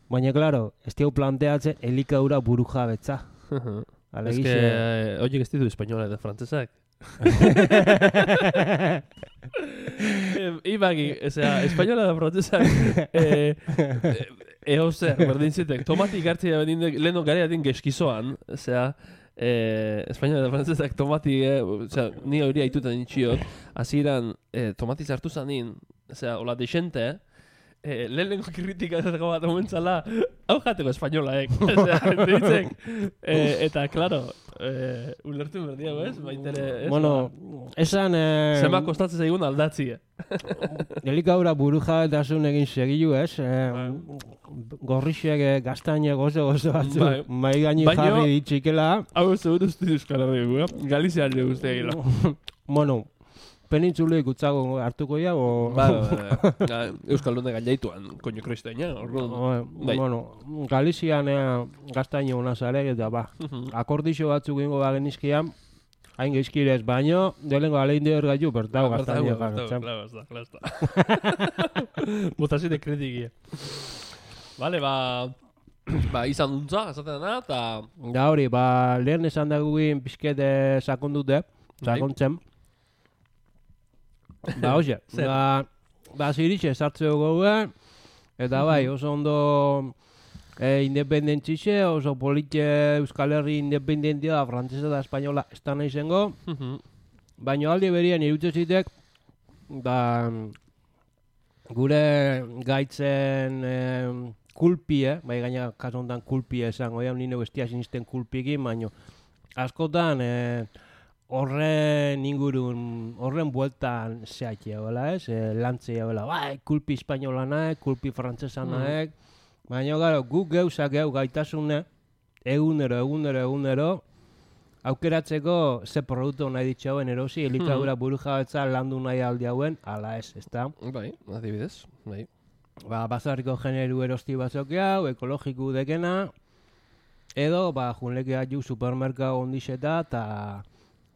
baina, klaro, ez diau planteatzen elikaura burujabetza. Ez que, Alegixe, eh, horiek ez ditu espainola eta frantzesak. Eh, Ibagi, osea, espainola da frantzesak, eh, eh, eo zer, berdin zitek, tomatik hartzea berdin leheno gareatin geskizoan, osea, eh, espainola da frantzesak tomati, eh, osea, ni hori haitutan nintxiot, hasieran eh, tomati zartu zanin, osea, hola desente, eh, lehenengo kritikatako bat omentzala, hau jateko espainolaek, osea, ditzek, eh, eta, klaro, eh, ulertu berdia, ez? Baitere, ez? bueno, esan... Eh, Zema kostatzen zaigun aldatzia. elikaura burujabetasun egin segilu, ez? Eh, gorrixek eh, gaztainek oso oso batzu Bai. mai gaini Baino- jarri ditxikela. Hau seguru uste Euskal Herria, Galizian le uste egila. Bueno, penintzulik utzago hartuko ja, o... Ba, ba, Euskal Lunde gainaituan, koño kristaina, orduan. O, Bai. Bueno, Galizian eh, gaztaino ona zare, eta ba, akordixo batzuk ingo bagenizkian, hain geizkirez, baino, delengo alein deur gaitu, bertau gaztaino garatzen. Claro, está, claro está. Botazio de kritikia. Vale, ba... Ba, izan duntza, esaten dena, eta... Da hori, ba, lehen esan dagugin pizkete sakondute, sakontzen. Ba, hoxe, Zer? ba, ba, ziritxe sartzeo gogue, eta bai, oso ondo e, independentzixe, oso politxe Euskal Herri independentia da, frantzesa eta espainola ez da nahi zengo, baina aldi berien irutze zitek, da, gure gaitzen e, kulpie, bai gaina kaso honetan kulpie esango, ja, nire bestia sinisten kulpikin, baina askotan e, horren ingurun, horren bueltan zehatxe hola ez, e, lantzea hola, bai, kulpi espainola naek, kulpi frantzesa naek, baina gara, guk geuzak geu gaitasune, egunero, egunero, egunero, aukeratzeko ze produktu nahi ditxauen erosi, elikadura buru jabetza landu nahi aldi hauen, ala ez, ezta? Bai, adibidez, bai. Ba, bazarriko generu erosti batzok hau, ekologiku dekena, edo, ba, junlekea ju supermerkao ondixeta, eta,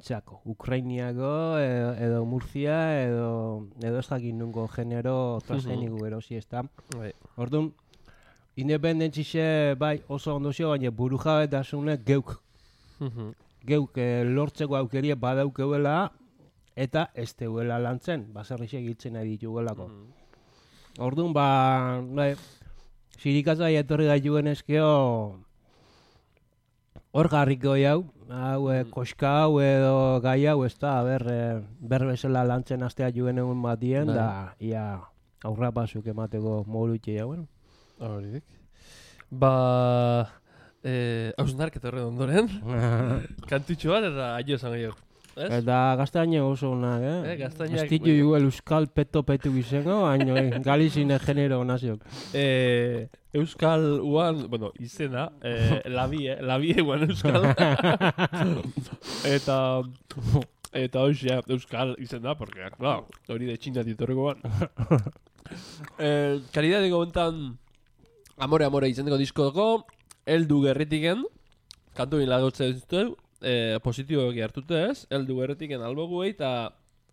txako, Ukrainiako, edo, edo Murcia, edo, edo ez jakin nungo genero transgeniku erosi, ezta? Bai. Orduan, independentzixe, bai, oso ondozio, baina buru jabetasune geuk, geuk eh, lortzeko aukerie badaukeuela, eta ez teuela lantzen, baserrixe egiten nahi ditugelako. Orduan, ba, bai, sirikatza etorri gaituen eskeo, hor garriko jau, hau, e, koska hau edo gai hau, ez da, ber, e, ber bezala lantzen astea juen egun batien, Bai. da, ia, aurra pasuk emateko mogulutxe jauen. Horidik. Ba... Eh, hausnarketa horren ondoren, kantutxo bat eta aio esan gehiago. Ez? Eta gaztaine oso onak, eh? Eh, gaztainak- Ez ditu juel euskal peto petu izango, baino eh, galizine genero naziok. Eh, Euskal uan, bueno, izena, eh, labie, labie uan Euskal. eta, eta hoxe, Euskal izena, porque, claro, hori de Txina ditorreko ban. eh, Karidadeko gontan, Amore Amore izendeko diskodoko, Eldu gerritiken, kantu bin lagotzen zuten, eh, positiboki hartute ez, Eldu gerritiken alboguei, eta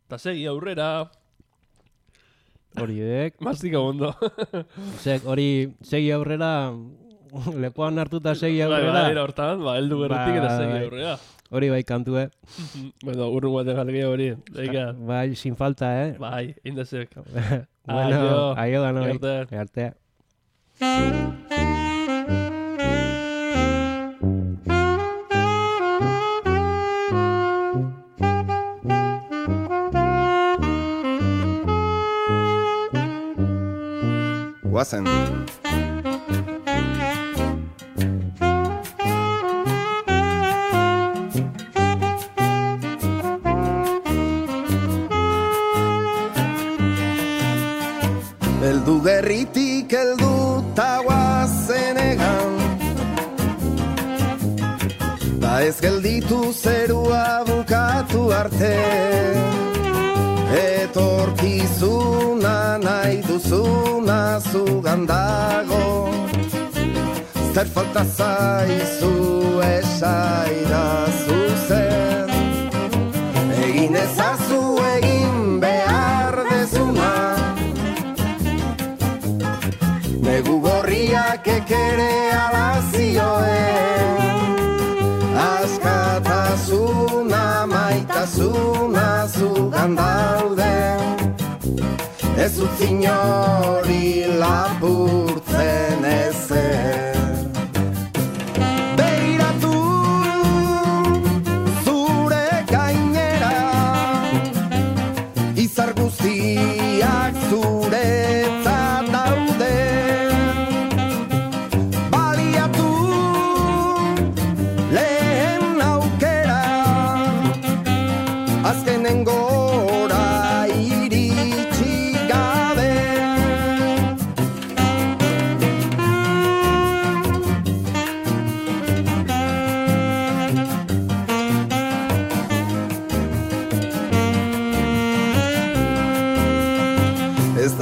ta segi aurrera, Hori dek. mastika ondo. Zek, hori segi aurrera, lepoan hartuta segi Bai, aurrera. bai, hortan, ba, Eldu gerritik eta segi Bai. aurrera. Hori bai kantue. Bueno, urrun batean galge hori, daika. Bai, sin falta, eh? Bai, indezek. Bueno, aio da noi. Arte. Arte. Guazen. Eldu gerritik eldu ta guazen egan, ta ez gelditu zerua bukatu arte. Etorkizuna nahi duzuna zugan dago, zer falta zaizu esaidazu zer. Egin ezazu egin behar dezuna, negu gorriak ekere alazioen. Askatasuna, maitasuna zugan daude, ez utzi inori lapurtzen ezer. Begiratu zure gainera, izar guztiak zuretzat daude. Baliatu lehen aukera, azkenen gora iritsi gabe.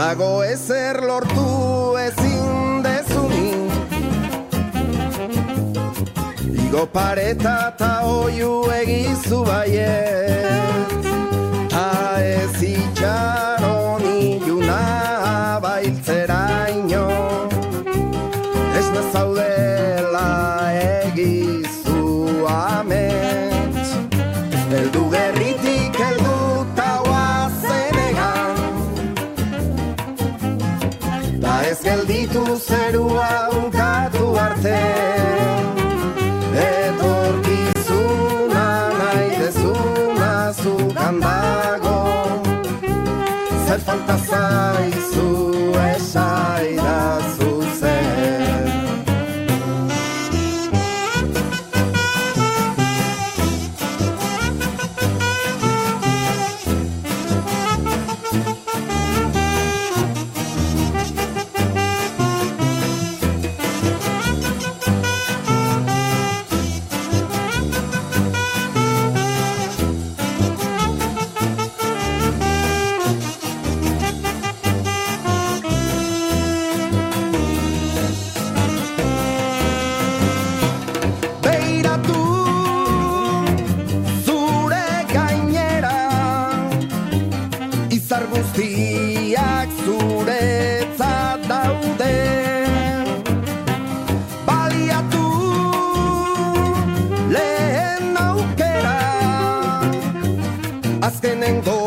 dago ezer lortu ezin dezunik. Igo pareta ta oiu egizu baiet, ta ez itxaron iluna bailtzeraino, ez nazaudela egizu amets. Eldu gerritik eldu ta oazenegan, ta ez gelditu zerua ukatu arte. Etorkizuna nahi dezuna zukan dago, zer falta zaizu esaidazu zer. Guztiak zuretzat daude, baliatu lehen aukera, azkenengo